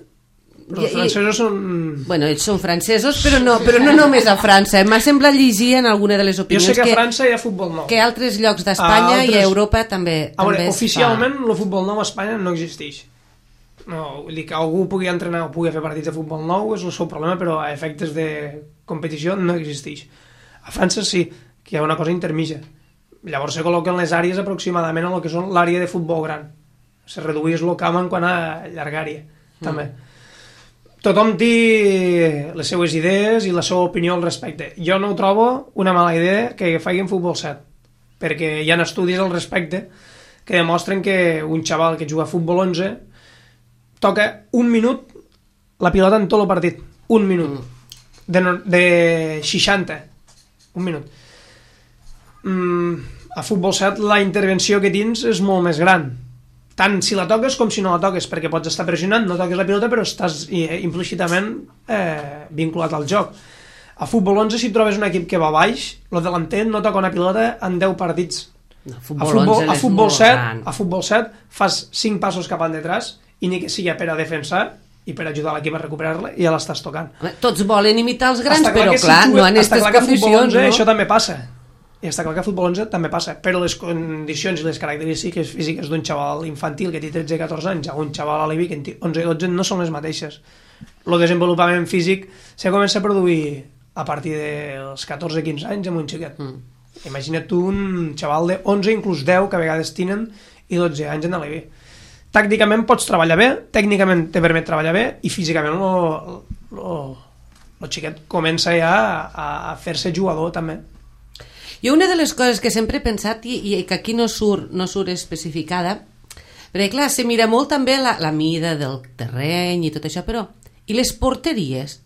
S3: Però els francesos són...
S2: Bueno, ells són francesos, però no només a França. M'ha semblat llegir en alguna de les opinions...
S3: Jo sé que a França hi ha futbol 9.
S2: Que a altres llocs d'Espanya i a Europa també
S3: oficialment el futbol 9 a Espanya no existeix. No, vull dir que algú pugui entrenar o pugui fer partits de futbol 9 és el seu problema, però a efectes de competició no existeix. A França sí, que hi ha una cosa intermitja. Llavors se col·loquen les àrees aproximadament a el que són l'àrea de futbol gran. Se redueix el camp en quant a llargària, també. Tothom té les seues idees i la seva opinió al respecte. Jo no ho trobo una mala idea que facin futbol 7, perquè hi ha estudis al respecte que demostren que un xaval que juga a futbol 11 toca un minut la pilota en tot el partit. Un minut. De 60. Un minut. A futbol 7 la intervenció que tens és molt més gran, tant si la toques com si no la toques, perquè pots estar pressionant, no toques la pilota però estàs implícitament vinculat al joc. A futbol 11 si trobes un equip que va baix, el delanter no toca una pilota en 10 partits. A futbol 7 fas 5 passos cap endetrás i ni que sigui per a defensar i per ajudar l'equip a recuperar-la i ja l'estàs tocant.
S2: Tots volen imitar els grans, però clar, no en aquestes condicions.
S3: Això també passa. I està clar que a futbol 11 també passa, però les condicions i les característiques físiques d'un xaval infantil que té 13-14 anys a un xaval aleví que en té 11-12 no són les mateixes. El desenvolupament físic se comença a produir a partir dels 14-15 anys amb un xiquet. Imagina't tu un xaval de 11, inclús 10, que a vegades tenen, i 12 anys en aleví. Tàcticament pots treballar bé, tècnicament te permet treballar bé, i físicament el xiquet comença ja a fer-se jugador també.
S2: Jo una de les coses que sempre he pensat i que aquí no surt especificada, perquè clar, se mira molt també la mida del terreny i tot això, però i les porteries?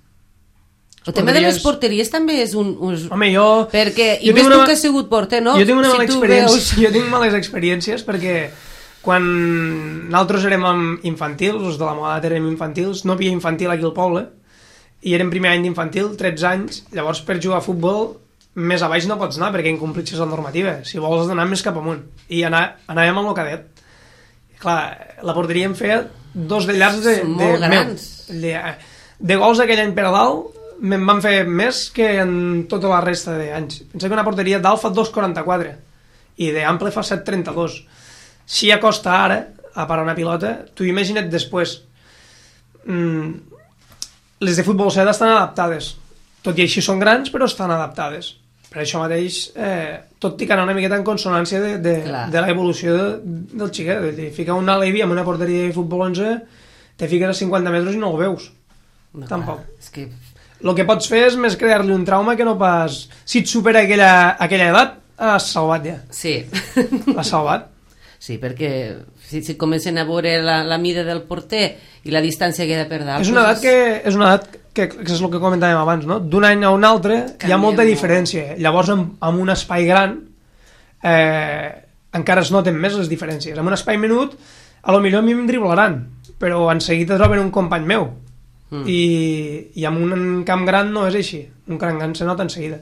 S2: El tema de les porteries també és un...
S3: Home, jo...
S2: Perquè, i més tu que has sigut porter, no?
S3: Jo tinc males experiències perquè quan nosaltres érem infantils, els de la meva edat érem infantils, no havia infantil aquí al poble, i érem primer any d'infantil, 13 anys, llavors per jugar a futbol més a baix no pots anar perquè incomplixes la normativa. Si vols has d'anar més cap amunt. I anàvem amb el cadet. Clar, la porteria em feia 2 de llargs
S2: molt grans.
S3: De gols aquell any per a dalt me'n van fer més que en tota la resta d'anys. Pensa que una porteria dalt fa 2,44 i d'ample fa 7,32. Si ja costa ara a parar una pilota, tu imagina't després. Les de futbol 7 estan adaptades. Tot i així són grans, però estan adaptades. Per això mateix, tot té que anar una miqueta en consonància de l'evolució del xiquet. Ficar un aleví amb una porteria de futbol 11, te fiques a 50 metres i no el veus. Tampoc. el que pots fer és més crear-li un trauma que no pas... Si et supera aquella edat, has salvat ja.
S2: Sí.
S3: L'has salvat.
S2: Sí, perquè si comencen a veure la mida del porter i la distància que ha de per dalt...
S3: És una edat que és el que comentàvem abans, no? D'un any a un altre hi ha molta diferència. Llavors, amb un espai gran, encara es noten més les diferències. Amb un espai menut, a lo millor a mi em driblaran, però en seguida troben un company meu. I amb un camp gran no és així. Un camp gran se nota en seguida.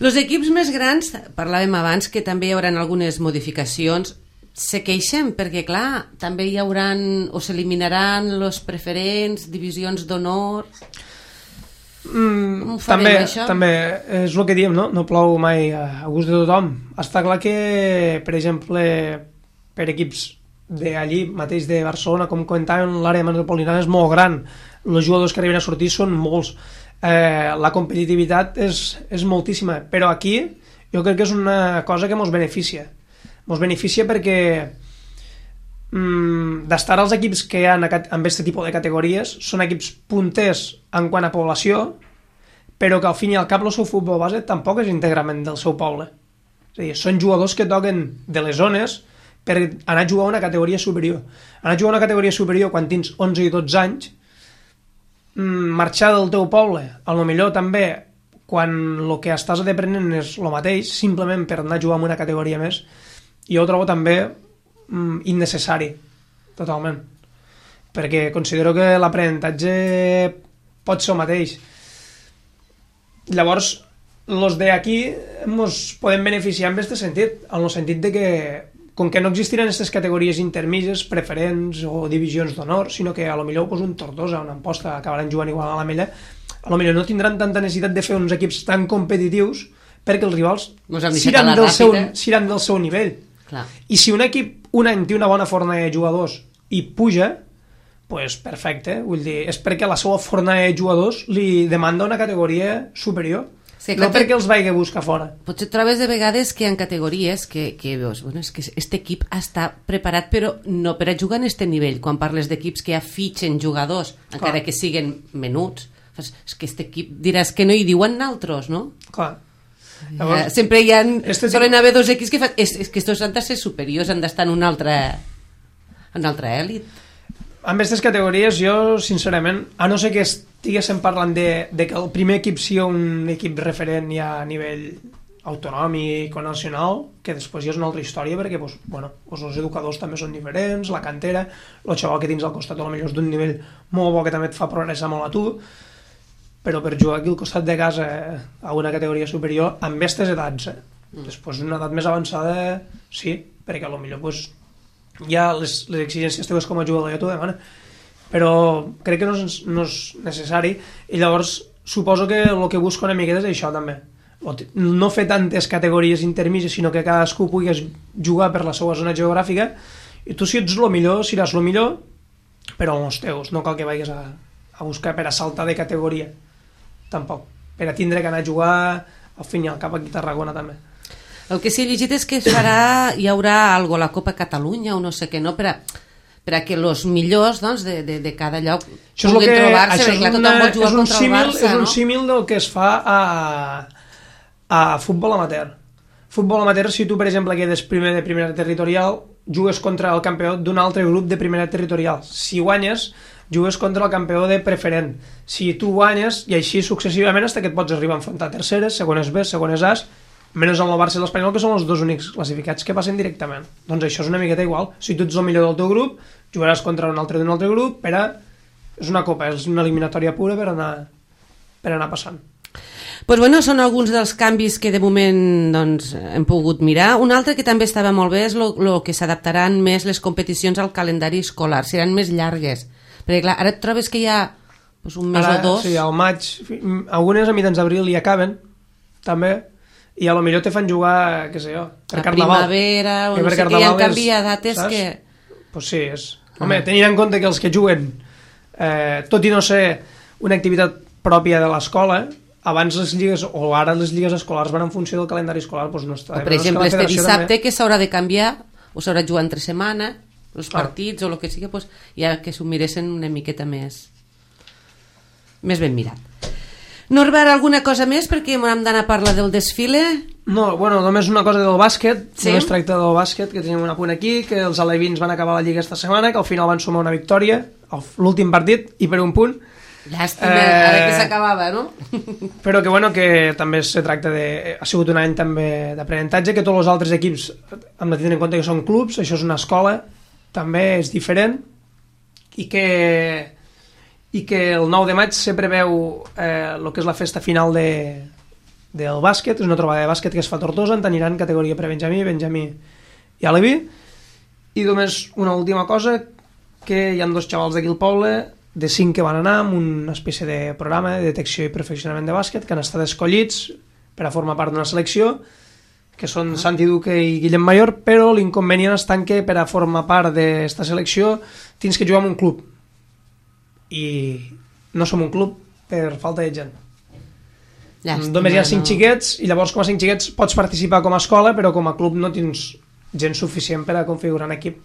S2: Els equips més grans, parlàvem abans que també hi haurà algunes modificacions, se queixen perquè, clar, també hi hauran o s'eliminaran els preferents, divisions d'honor...
S3: També és el que diem, no? No plou mai a gust de tothom. Està clar que, per exemple, per equips d'allí mateix de Barcelona, com comentàvem, l'àrea metropolitana és molt gran, els jugadors que arriben a sortir són molts, la competitivitat és moltíssima, però aquí jo crec que és una cosa que ens beneficia perquè d'estar als equips que hi ha amb aquest tipus de categories són equips punters en quant a població, però que al fin i al cap el seu futbol base tampoc és íntegrament del seu poble, és a dir, són jugadors que toquen de les zones per anar a jugar a una categoria superior. Anar a jugar a una categoria superior quan tens 11 i 12 anys, marxar del teu poble, a lo millor també quan el que estàs aprenent és el mateix, simplement per anar a jugar a una categoria més, jo ho trobo també innecessari, totalment. Perquè considero que l'aprenentatge pot ser el mateix. Llavors, els d'aquí ens podem beneficiar en aquest sentit, en el sentit de que com que no existiran aquestes categories intermitges, preferents o divisions d'honor, sinó que a lo millor un Tortosa, una Amposta acabaran jugant igual a la Mella, a lo millor no tindran tanta necessitat de fer uns equips tan competitius perquè els rivals seran del seu nivell.
S2: Clar.
S3: I si un equip un any té una bona fornada de jugadors i puja, pues perfecte, vull dir, és perquè la seva fornada de jugadors li demanda una categoria superior. Sí, no perquè els vagi a buscar fora.
S2: Potser trobes de vegades que hi ha categories que veus, bueno, és que aquest equip està preparat però no per a jugar en aquest nivell. Quan parles d'equips que ja fitxen jugadors, encara que siguen menuts, és que aquest equip diràs que no hi diuen naltros, no?
S3: Clar. Llavors,
S2: sempre hi ha solen haver dos equips que fan és que estos han de ser superiors, han d'estar en una altra èlit.
S3: Amb aquestes categories jo, sincerament, a no ser que estiguéssim parlant de que el primer equip sigui un equip referent ja a nivell autonòmic o nacional, que després ja és una altra història, perquè els educadors també són diferents, la cantera, el xaval que tens al costat potser és d'un nivell molt bo que també et fa progressar molt a tu, però per jugar aquí al costat de casa a una categoria superior amb aquestes edats, després una edat més avançada sí, perquè potser ja les exigències teves com a jugador ja t'ho demana, però crec que no és necessari, i llavors suposo que el que busco una miqueta és això també, no fer tantes categories intermitges, sinó que cadascú puguis jugar per la seva zona geogràfica, i tu si ets el millor seràs el millor, però els teus, no cal que vagis a buscar per a saltar de categoria tampoc, per a tindre que anar a jugar al fin i al cap aquí a Tarragona també.
S2: El que sí he llegit és que hi haurà algo a la Copa Catalunya o no sé què, no? Per a que els millors de cada lloc puguin trobar-se, perquè clar, tothom vol jugar contra el Barça,
S3: no? És un símil del que es fa a futbol amateur. Futbol amateur, si tu, per exemple, quedes primer de primera territorial, jugues contra el campió d'un altre grup de primera territorial. Si guanyes, jugues contra el campió de preferent. Si tu guanyes, i així successivament, fins que et pots arribar a enfrontar terceres, segones B, segones A's, menys amb el Barça i l'Espanyol, que són els dos únics classificats que passen directament. Doncs això és una miqueta igual. Si tu ets el millor del teu grup, jugaràs contra un altre d'un altre grup, és una copa, és una eliminatòria pura per anar passant.
S2: Pues bueno, són alguns dels canvis que de moment doncs, hem pogut mirar. Un altre que també estava molt bé és el que s'adaptaran més les competicions al calendari escolar, seran més llargues. Perquè clar, ara et trobes que hi ha un mes o dos...
S3: Sí, al maig, algunes a mitjans d'abril hi acaben, també, i a lo millor te fan jugar, què sé jo, per Carnaval.
S2: Primavera, o no sé què, hi ha canvi de dates saps? Que...
S3: Pues sí, és... Home, tenint en compte que els que juguen, tot i no ser una activitat pròpia de l'escola, abans les lligues, o ara les lligues escolars van en funció del calendari escolar, doncs no està...
S2: O per exemple, este dissabte també... que s'haurà de canviar, o s'haurà de jugar entre setmana, els partits o el que sigui, doncs ja que s'ho miressin una miqueta més ben mirat. Norbert, alguna cosa més? Perquè hem d'anar a parlar del desfile.
S3: No, bueno, només una cosa del bàsquet.
S2: Sí?
S3: Només tracta del bàsquet, que tenim un apunt aquí, que els alevins van acabar la Lliga esta setmana, que al final van sumar una victòria, l'últim partit, i per un punt.
S2: Llàstima, ara que s'acabava, no?
S3: Però que, bueno, que també se tracta de... Ha sigut un any també d'aprenentatge, que tots els altres equips hem de tenir en compte que són clubs, això és una escola, també és diferent, i que el 9 de maig se preveu el que és la festa final del bàsquet, és una trobada de bàsquet que es fa a Tortosa, en teniran categoria prebenjamí, benjamí i aleví. I només una última cosa, que hi ha 2 xavals d'aquí al poble, de 5 que van anar amb una espècie de programa de detecció i perfeccionament de bàsquet, que han estat escollits per a formar part d'una selecció, que són Santi Duque i Guillem Mayor, però l'inconvenient està en que per a formar part d'aquesta selecció tens que jugar en un club. I no som un club per falta de gent. Llàstima, només hi ha 5 xiquets, i llavors com a 5 xiquets pots participar com a escola, però com a club no tens gent suficient per a configurar un equip.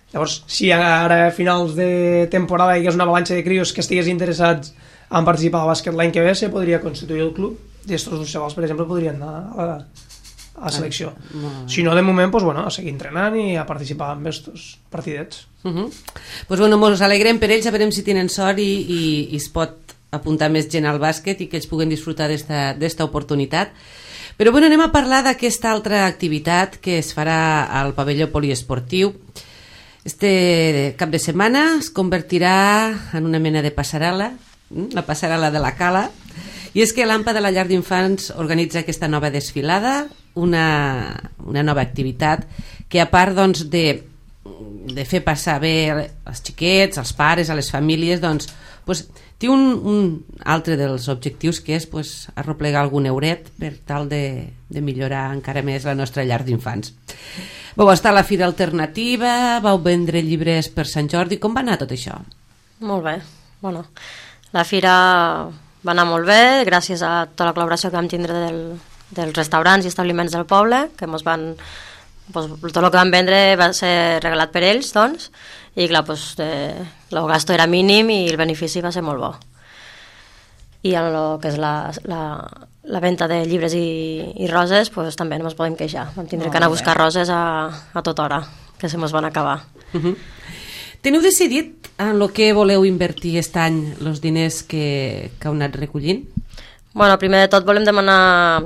S3: Llavors, si ara a finals de temporada hi hagués una avalanxa de crios que estigués interessats en participar al bàsquet l'any que ve, se podria constituir el club, i aquests 2 xavals, per exemple, podrien anar a la selecció. Si no, de moment, pues, bueno, a seguir entrenant i a participar en aquests partidets.
S2: Pues, bueno, ens alegrem per ells, a veure si tenen sort i es pot apuntar més gent al bàsquet i que ells puguen disfrutar d'esta oportunitat. Però bueno, anem a parlar d'aquesta altra activitat que es farà al pavelló poliesportiu. Este cap de setmana es convertirà en una mena de passarel·la, la passarel·la de la Cala, i és que l'AMPA de la Llar d'Infants organitza aquesta nova desfilada, una nova activitat que, a part doncs, de fer passar bé els xiquets, els pares, a les famílies, doncs, té un altre dels objectius, que és arroplegar algun euret per tal de millorar encara més la nostra llar d'infants. Vau estar a la Fira Alternativa, vau vendre llibres per Sant Jordi. Com va anar tot això?
S1: Molt bé. Bueno, la Fira va anar molt bé, gràcies a tota la col·laboració que vam tindre dels restaurants i establiments del poble, que ens van... tot el que vam vendre va ser regalat per ells, doncs, i clar, el gasto era mínim i el benefici va ser molt bo. I en el que és la venda de llibres i roses, també no ens podem queixar. Vam tindre que anar a buscar roses a tota hora, que se mos van acabar.
S2: Teniu decidit en el que voleu invertir aquest any els diners que heu anat recollint?
S1: Bueno, primer de tot volem demanar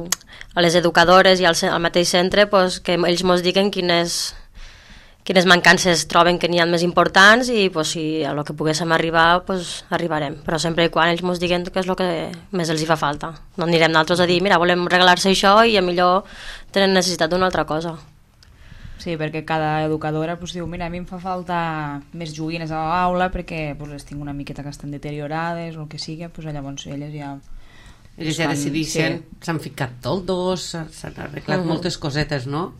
S1: a les educadores i al mateix centre que ells ens diguin quines mancances troben que n'hi ha més importants i si a lo que poguéssim arribar arribarem, però sempre i quan ells ens diguin què és el que més els hi fa falta. No anirem nosaltres a dir, mira, volem regalar-se això i a millor tenen necessitat d'una altra cosa.
S4: Sí, perquè cada educadora diu, mira, a mi em fa falta més joguines a l'aula perquè les tinc una miqueta que estan deteriorades o el que sigui, llavors elles ja...
S2: Ells ja decideixen, s'han ficat toldos, s'han arreglat moltes cosetes, no?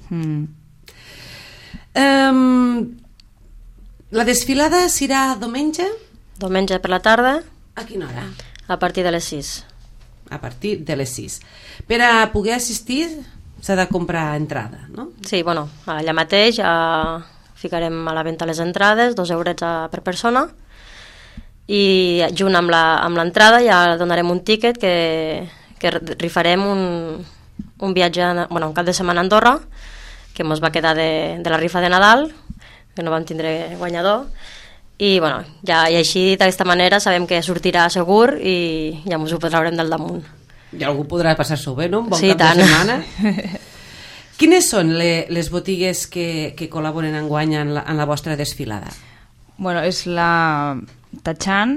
S2: La desfilada serà diumenge?
S1: Diumenge per la tarda.
S2: A quina hora?
S1: A partir de les 6.
S2: A partir de les 6. Per a poder assistir s'ha de comprar entrada, no?
S1: Sí, bueno, allà mateix ficarem a la venda les entrades, 2 eurets per persona, i junt amb l'entrada ja donarem un tíquet que rifarem un viatge, un cap de setmana a Andorra, que ens va quedar de la rifa de Nadal, que no vam tindre guanyador, i ja així d'aquesta manera sabem que sortirà segur i ja ens ho traurem del damunt.
S2: I algú podrà passar-s'ho bé, no? Un bon cap de setmana. Quines són les botigues que col·laboren enguany en la vostra desfilada?
S4: Bueno, és la Tachan,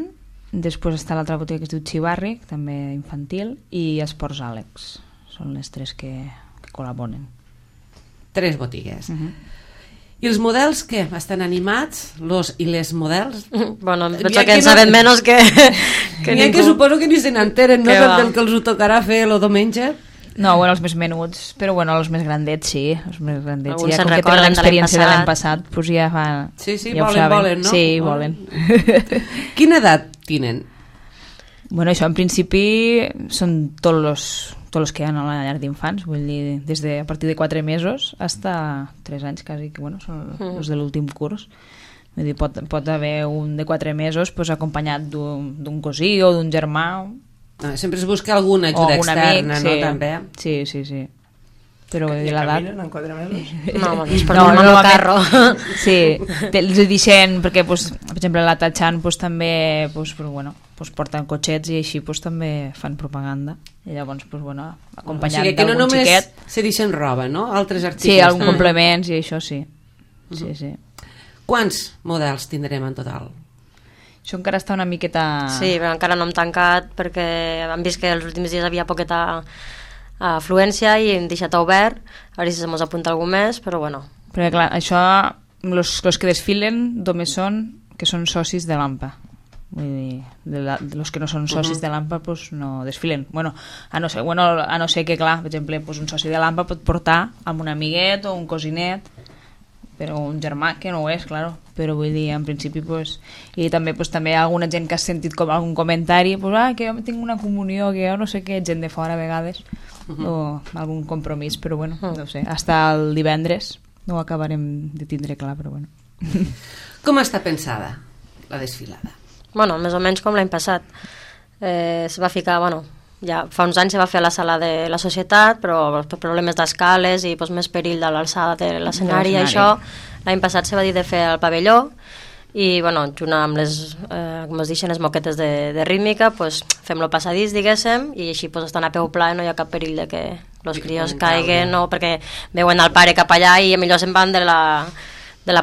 S4: després està l'altra botiga que es diu Xivarri, també infantil, i Esports Àlex. Són les 3 que col·laboren.
S2: 3 botigues. I els models, què? Estan animats? I les models?
S1: Bueno, penso que en saben menys que
S2: ningú. Que suposo que ni se n'enteren, no? Del que els ho tocarà fer el diumenge.
S4: No, els més menuts, però els més grandets sí, els més grandets.
S1: Alguns
S4: ja com que tenen l'experiència de l'any passat, ja fa...
S2: Sí,
S4: ja
S2: volen, no?
S4: Sí, volen.
S2: Quina edat tenen?
S4: Bueno, això en principi són tots els que hi ha a la llar d'infants, vull dir, des de a partir de 4 mesos fins a 3 anys quasi, que són els de l'últim curs. Vull dir, pot haver un de 4 mesos acompanyat d'un cosí o d'un germà,
S2: Sempre es busca alguna ajuda externa, no? També.
S4: Sí. Però
S3: I
S4: l'edat...
S3: caminen en 4 mesos?
S1: No, es porten amb el carro.
S4: Sí, els deixen, perquè, pues, per exemple, la Tachan pues, també pues, porten cotxets i així pues, també fan propaganda. I llavors, pues, acompanyant
S2: que no
S4: d'algun xiquet...
S2: només se deixen roba, no? Altres articles.
S4: Sí, alguns complements i això sí. Sí.
S2: Quants models tindrem en total?
S4: Això encara està una miqueta...
S1: Sí, però encara no hem tancat perquè hem vist que els últims dies havia poqueta afluència i hem deixat obert, a veure si se mos apunta algú més, però bueno.
S4: Perquè clar, això, los que desfilen només són que són socis de l'AMPA. Vull dir, los que no són socis de l'AMPA pues, no desfilen. A no ser que, clar, per exemple, pues, un soci de l'AMPA pot portar amb un amiguet o un cosinet, però un germà que no ho és, claro. Però vull dir, en principi, pues, i també, pues, també hi ha alguna gent que ha sentit algun comentari, pues, que jo tinc una comunió, que jo no sé què, gent de fora a vegades, o algun compromís, però bueno, no sé, hasta el divendres no ho acabarem de tindre clar, però bueno.
S2: Com està pensada la desfilada?
S1: Bueno, més o menys com l'any passat. Es va ficar, ja fa uns anys se va fer a la sala de la societat, però per problemes d'escales i més perill de l'alçada de l'escenari i això, l'any passat se va dir de fer al pavelló i junt amb les, com es deixen, les moquetes de rítmica, fem-lo passadís, diguéssim, i així estan a peu pla i no hi ha cap perill de que els crios caiguen, o perquè veuen el pare cap allà i millor se'n van de la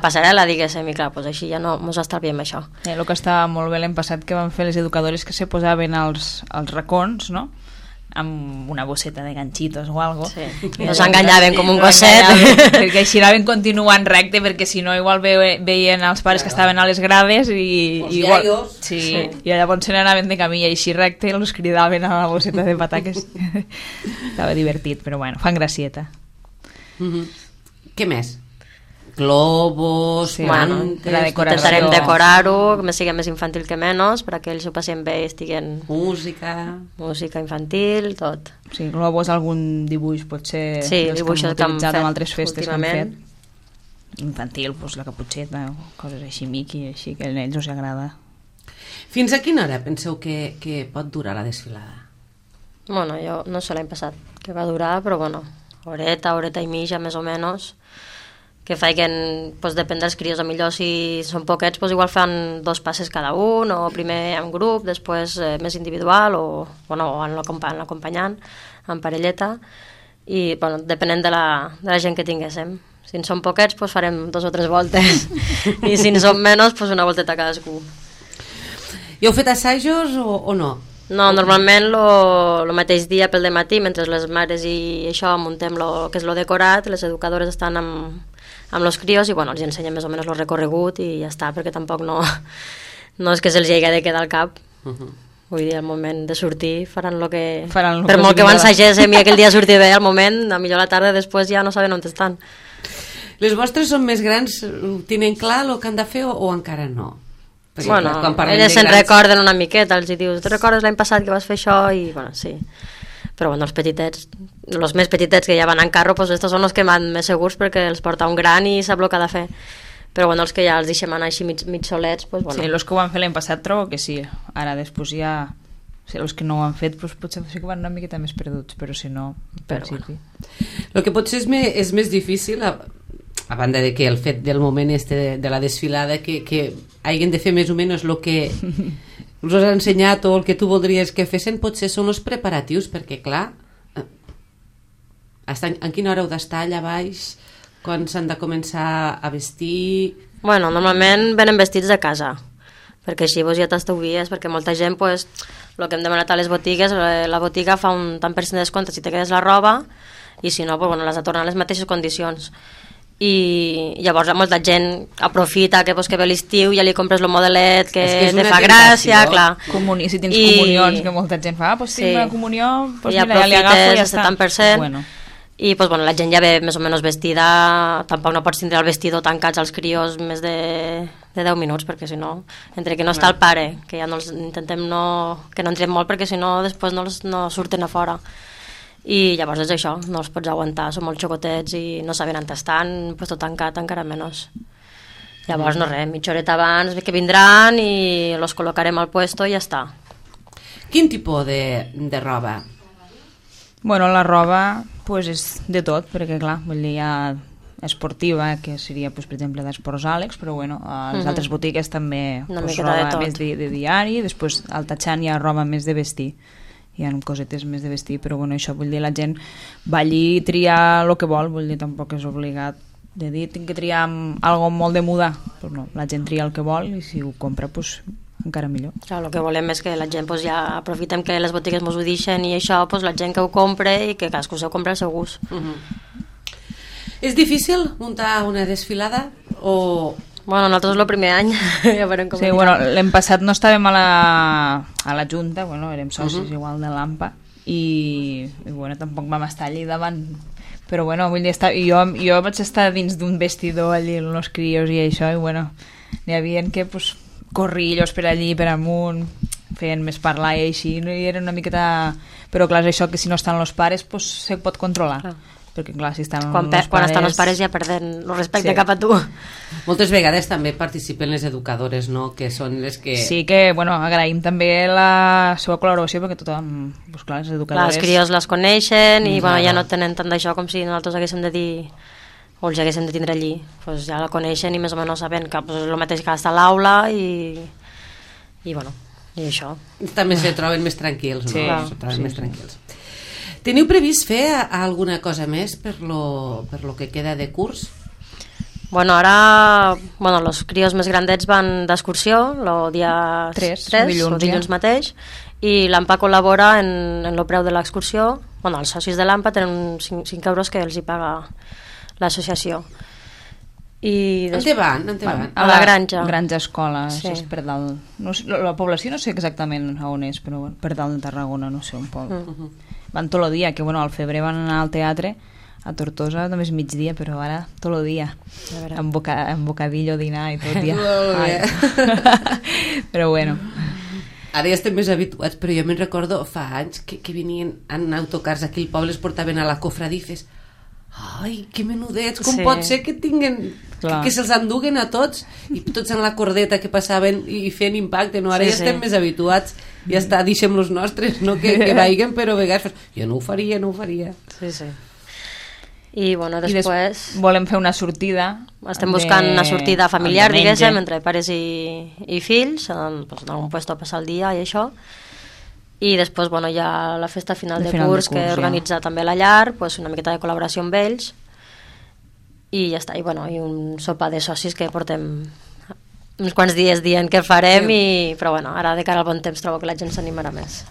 S1: passarel·la, diguéssim, i clar, així ja no ens estalviem això.
S4: El que estava molt bé l'any passat que van fer les educadores que se posaven als racons, no?, amb una bosseta de ganxitos o algo.
S1: Sí. Nos enganyaven com un gosset.
S4: Perquè així anaven continuant recte, perquè si no igual veien els pares que estaven a les grades i igual, i llavors se n'anaven de camí i així recte i els cridaven a la bosseta de pataques. Estava divertit, però bueno, fan gracieta.
S2: Què més? Globos, mantes...
S4: la decoració.
S1: Intentarem decorar-ho, que sigui més infantil que menys, perquè ells ho passem bé i estiguen... Música infantil, tot.
S4: Sí, globos, algun dibuix, potser...
S1: Sí, dibuixos que hem fet
S4: en altres festes
S1: últimament.
S4: Que hem fet. Infantil, la caputxeta, coses així, Mickey, així, que a ells els agrada.
S2: Fins a quina hora penseu que pot durar la desfilada?
S1: Jo no sé l'any passat que va durar, però horeta i mitja, més o menys, que faiguen, depèn dels crios, a millor si són poquets, igual fan 2 passes cada un, o primer en grup, després més individual, o en l'acompanyant, en parelleta, i depenent de la gent que tinguéssim. Si en són poquets, farem 2 o 3 voltes, i si en són menys, una volteta cadascú.
S2: I heu fet assajos o no?
S1: No, normalment el mateix dia pel dematí, mentre les mares i això muntem el que és lo decorat, les educadores estan amb els crios i els ensenyem més o menys el recorregut i ja està, perquè tampoc no és que se'ls hagi de quedar al cap. Vull dir, al moment de sortir faran el que... Per molt que ho ensagéssim i aquell dia surti bé, al moment, a millor la tarda després ja no saben on estan.
S2: Les vostres són més grans, tenen clar el que han de fer o encara no? Perquè,
S1: elles se'n recorden una miqueta, els dius, tu recordes l'any passat que vas fer això? I sí. Però els petitets, els més petitets que ja van en carro, estos són els que van més segurs perquè els porta un gran i sap el que ha de fer. Però els que ja els deixem anar així mig solets,
S4: Sí, els que ho van fer l'any passat trobo que sí. Ara després ja... Els que no ho han fet potser sí que van una miqueta més perduts, però si no, en principi.
S2: El que potser és més difícil, a banda de que el fet del moment de la desfilada, que hagin de fer més o menys el que... us has ensenyat o el que tu voldries que fessin, potser són els preparatius, perquè clar, en quina hora heu d'estar allà baix, quan s'han de començar a vestir...
S1: Normalment venen vestits de casa, perquè així ja t'estalvies, perquè molta gent, el que hem demanat a les botigues, la botiga fa un tant % de descompte si te quedes la roba, i si no, les ha tornat a les mateixes condicions. I llavors molta gent aprofita que ve l'estiu i ja li compres el modelet que te fa gràcia, clar.
S4: Si tens comunions, que molta gent fa, tinc una comunió,
S1: i aprofites el 70%. I la gent ja ve més o menys vestida, tampoc no pots tindre el vestidor tancats als crios més de 10 minuts, perquè si no, entre que no està el pare, que ja intentem que no entrem molt, perquè si no després no surten a fora. I llavors és això, no els pots aguantar, són molt xocotets i no saben on estan, tot tancat encara menys. Llavors mitja horeta abans que vindran i els col·locarem al puesto i ja està.
S2: Quin tipus de roba?
S4: Bueno, la roba pues, és de tot, perquè clar, vull dir, hi ha esportiva, que seria, pues, per exemple, d'Esports Àlex, però bueno, a les altres botigues també pues, roba més de diari, després al Tatxan hi ha roba més de vestir, hi ha cosetes més de vestir, però bueno, això vull dir, la gent va allí i triar el que vol, vull dir, tampoc és obligat de dir, tinc que triar algo molt de moda, però no, la gent tria el que vol i si ho compra, pues, encara millor.
S1: Clar, el que volem és que la gent pues, ja aprofitem que les botigues ens ho deixen i això, pues, la gent que ho compre i que cadascú s'ho compra al seu gust.
S2: És difícil muntar una desfilada o...
S1: Bueno, nosaltres el primer any ja veurem com
S4: sí, bueno, l'any passat no estàvem a la Junta, bueno, érem socis igual de l'AMPA i bueno, tampoc vam estar allí davant, però bueno, vull dir, jo vaig estar dins d'un vestidor allí amb els crios i això, i bueno, n'hi havia que pues, corrillos per allí, per amunt, feien més parlar i així, no? I era una miqueta... Però clar, és això que si no estan els pares pues, se pot controlar. Clar. Perquè clar, si estan
S1: quan estan els pares ja perden el respecte cap a tu.
S2: Moltes vegades també participen les educadores, no? Que són les que...
S4: Sí que, bueno, agraïm també la seva col·laboració perquè tothom, pues, clar, les educadores...
S1: Clar, els crios les coneixen i bueno, ja no tenen tant d'això com si nosaltres haguéssim de dir o els haguéssim de tindre allí, pues ja la coneixen i més o menys saben que pues, és el mateix que està a l'aula i bueno, i això.
S2: També se troben més tranquils, no?
S1: Sí,
S2: se troben més tranquils. Teniu previst fer alguna cosa més per lo que queda de curs?
S1: Bueno, ara els crios més grandets van d'excursió el dia 3 o dilluns mateix, i l'AMPA col·labora en el preu de l'excursió. Bueno, els socis de l'AMPA tenen 5 euros que els hi paga l'associació.
S2: On te van?
S1: A la granja.
S4: Granja escola,
S1: sí.
S4: És per dalt. No sé, la població no sé exactament on és, però per dalt de Tarragona, no sé, un poc. Van tot el dia, que bueno, al febrer van anar al teatre, a Tortosa només migdia, però ara tot el dia, amb bocadillo, dinar i tot dia. Però bueno.
S2: Ara ja estem més habituats, però jo me'n recordo fa anys que venien en autocars aquí al poble, es portaven a la cofradia i fes... Ai, que menudets, com pot ser que tinguen que se'ls enduguen a tots i tots en la cordeta que passaven i fent impacte, no? Ara ja estem més habituats, ja està, deixem los nostres, no que vaiguen, però a vegades jo no ho faria.
S1: Sí. I bueno, després...
S4: volem fer una sortida.
S1: Estem buscant una sortida familiar, diguéssim, entre pares i fills, en un puesto a passar el dia i això. I després bueno, hi ha la festa final de curs que organitza també la llar, pues, una miqueta de col·laboració amb ells i ja està, i un sopar de socis que portem uns quants dies dient que farem, però bueno, ara de cara al bon temps trobo que la gent s'animarà més.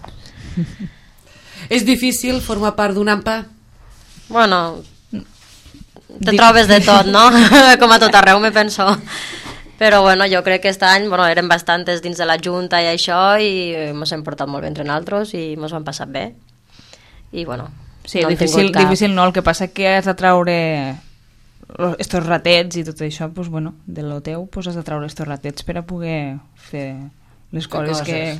S2: És difícil formar part d'un AMPA?
S1: Bueno, te trobes de tot, no? Com a tot arreu, me penso. Però bueno, jo crec que aquest any eren bastantes dins de la Junta i això, i ens hem portat molt bé entre nosaltres i ens ho hem passat bé. I bueno,
S4: sí, no difícil no, el que passa que has de traure estos ratets i tot això, pues, bueno, de lo teu pues, has de traure estos ratets per a poder fer les coses que...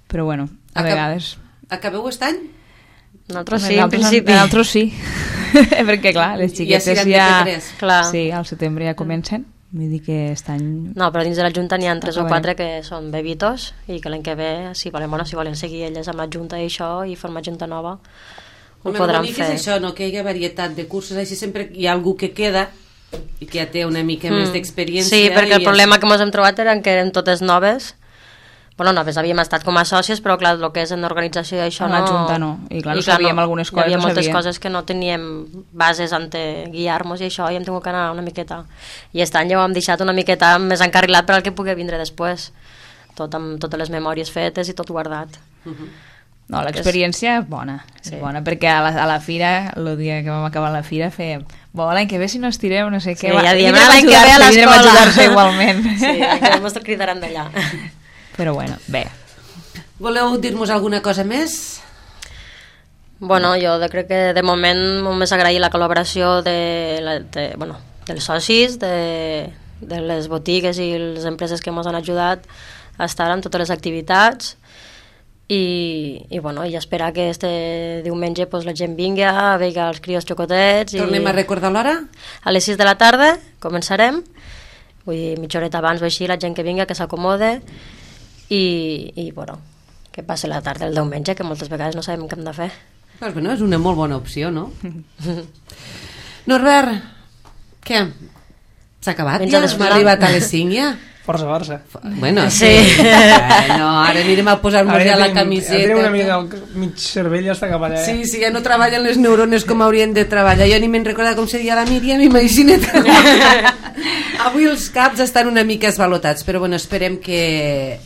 S4: Però bueno, a vegades...
S2: Acabeu aquest any?
S1: Nosaltres sí, en principi.
S4: Nosaltres sí, perquè clar, les xiquetes ja... Sí, al setembre ja comencen. Vull dir que aquest any...
S1: No, però dins de la Junta n'hi ha 3 o 4 que són bebitos i que l'any que ve, si volen seguir elles amb la Junta i això i formar Junta nova, ho podran fer.
S2: És això, no? Que hi ha varietat de cursos, així sempre hi ha algú que queda i que ja té una mica més d'experiència.
S1: Sí, perquè el problema que ens hem trobat eren que eren totes noves. Bueno, noves havíem estat com a sòcies, però clar, el que és en l'organització i això
S4: no... En la Junta no, i clar, no sabíem algunes coses.
S1: Hi havia moltes coses que no teníem bases on guiar-nos i això, i hem tingut que anar una miqueta. I aquest any ja ho hem deixat una miqueta més encarrilat per al que pugui vindre després. Tot amb totes les memòries fetes i tot guardat.
S4: No, l'experiència és bona, perquè a la fira, el dia que vam acabar la fira, fèiem, l'any que ve si no estireu, no sé què...
S1: Ja diem, l'any que ve a l'escola.
S4: Vindrem a ajudar-se igualment.
S1: Sí, que ens cridaran d'allà.
S4: Però bueno, bé.
S2: Voleu dir-nos alguna cosa més?
S1: Bueno, jo crec que de moment només agrair la col·laboració dels socis, de les botigues i les empreses que ens han ajudat a estar en totes les activitats i bueno, i esperar que este diumenge pues, la gent vingui a veure els crios xocotets.
S2: Tornem a recordar l'hora?
S1: A les 6 de la tarda començarem, vull dir, mitja horeta abans o així, la gent que vingui, que s'acomode i bueno, que passi la tarda el diumenge, que moltes vegades no sabem què hem de fer.
S2: Pues bueno, és una molt bona opció, no? Norbert, què? S'ha acabat
S1: Menja
S2: ja?
S1: d'esmorzar.
S2: Hem arribat a les 5 ja?
S3: Força, força.
S2: Bueno,
S1: Sí.
S2: No, ara anirem a posar-nos ja la camiseta.
S3: Ja tenim una mica del mig cervell ja està cap allà.
S2: Sí, sí, ja no treballen les neurones com haurien de treballar. Jo ni me'n recordo com seria la Míriam, imagina't. Avui els caps estan una mica esvalotats, però bueno, esperem que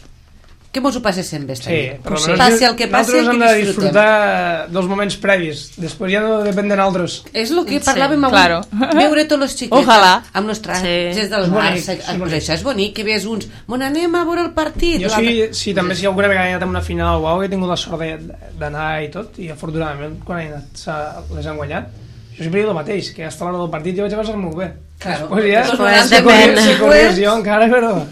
S2: mos ho passéssim bé.
S3: Sí, però
S2: passi el que passi,
S3: nosaltres hem
S2: que
S3: de
S2: disfrutem.
S3: disfrutar dels moments previs. Després ja no depèn de nosaltres.
S2: És el que parlàvem avui,
S4: claro.
S2: veure tots els xiquets
S4: Ojalà.
S2: amb els trajes
S1: Sí.
S2: del
S3: És
S2: Barça.
S3: bonic, és
S2: Pues
S3: bonic.
S2: això és bonic, que veus uns, on anem a veure el partit.
S3: Jo sí, també si alguna vegada he anat a una final o he tingut la sort d'anar i tot, i afortunadament quan he anat les han guanyat. Jo sempre dic el mateix, que hasta l'hora del partit jo vaig a passar molt bé.
S2: Claro.
S3: Després ja,
S2: Després
S1: depèn.
S3: si corries jo encara, però...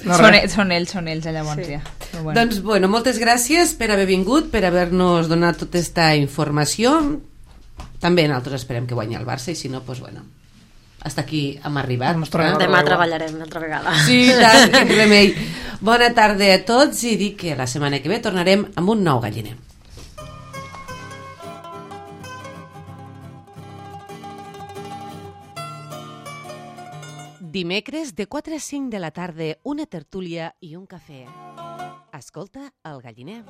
S3: No, res.
S4: Són ells, llavors, ja. Però bueno.
S2: Doncs, bueno, moltes gràcies per haver vingut, per haver-nos donat tota aquesta informació. També nosaltres esperem que guanyi el Barça, i si no, doncs, bueno, hasta aquí hem arribat.
S3: Ens tornem a
S1: Demà
S3: veure.
S1: treballarem una altra vegada.
S2: Sí, tant, quin remei. Bona tarda a tots i dic que la setmana que ve tornarem amb un nou galliner. Dimecres de 4 a 5 de la tarda, una tertúlia i un cafè. Escolta el galliner.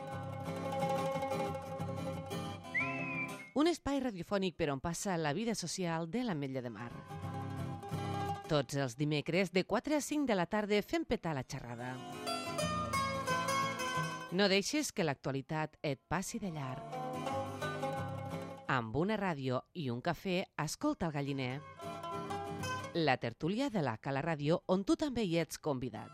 S2: Un espai radiofònic per on passa la vida social de l'Ametlla de Mar. Tots els dimecres de 4 a 5 de la tarda fem petar la xerrada. No deixes que l'actualitat et passi de llarg. Amb una ràdio i un cafè, escolta el galliner. La tertúlia de la Cala Ràdio, on tu també hi ets convidat.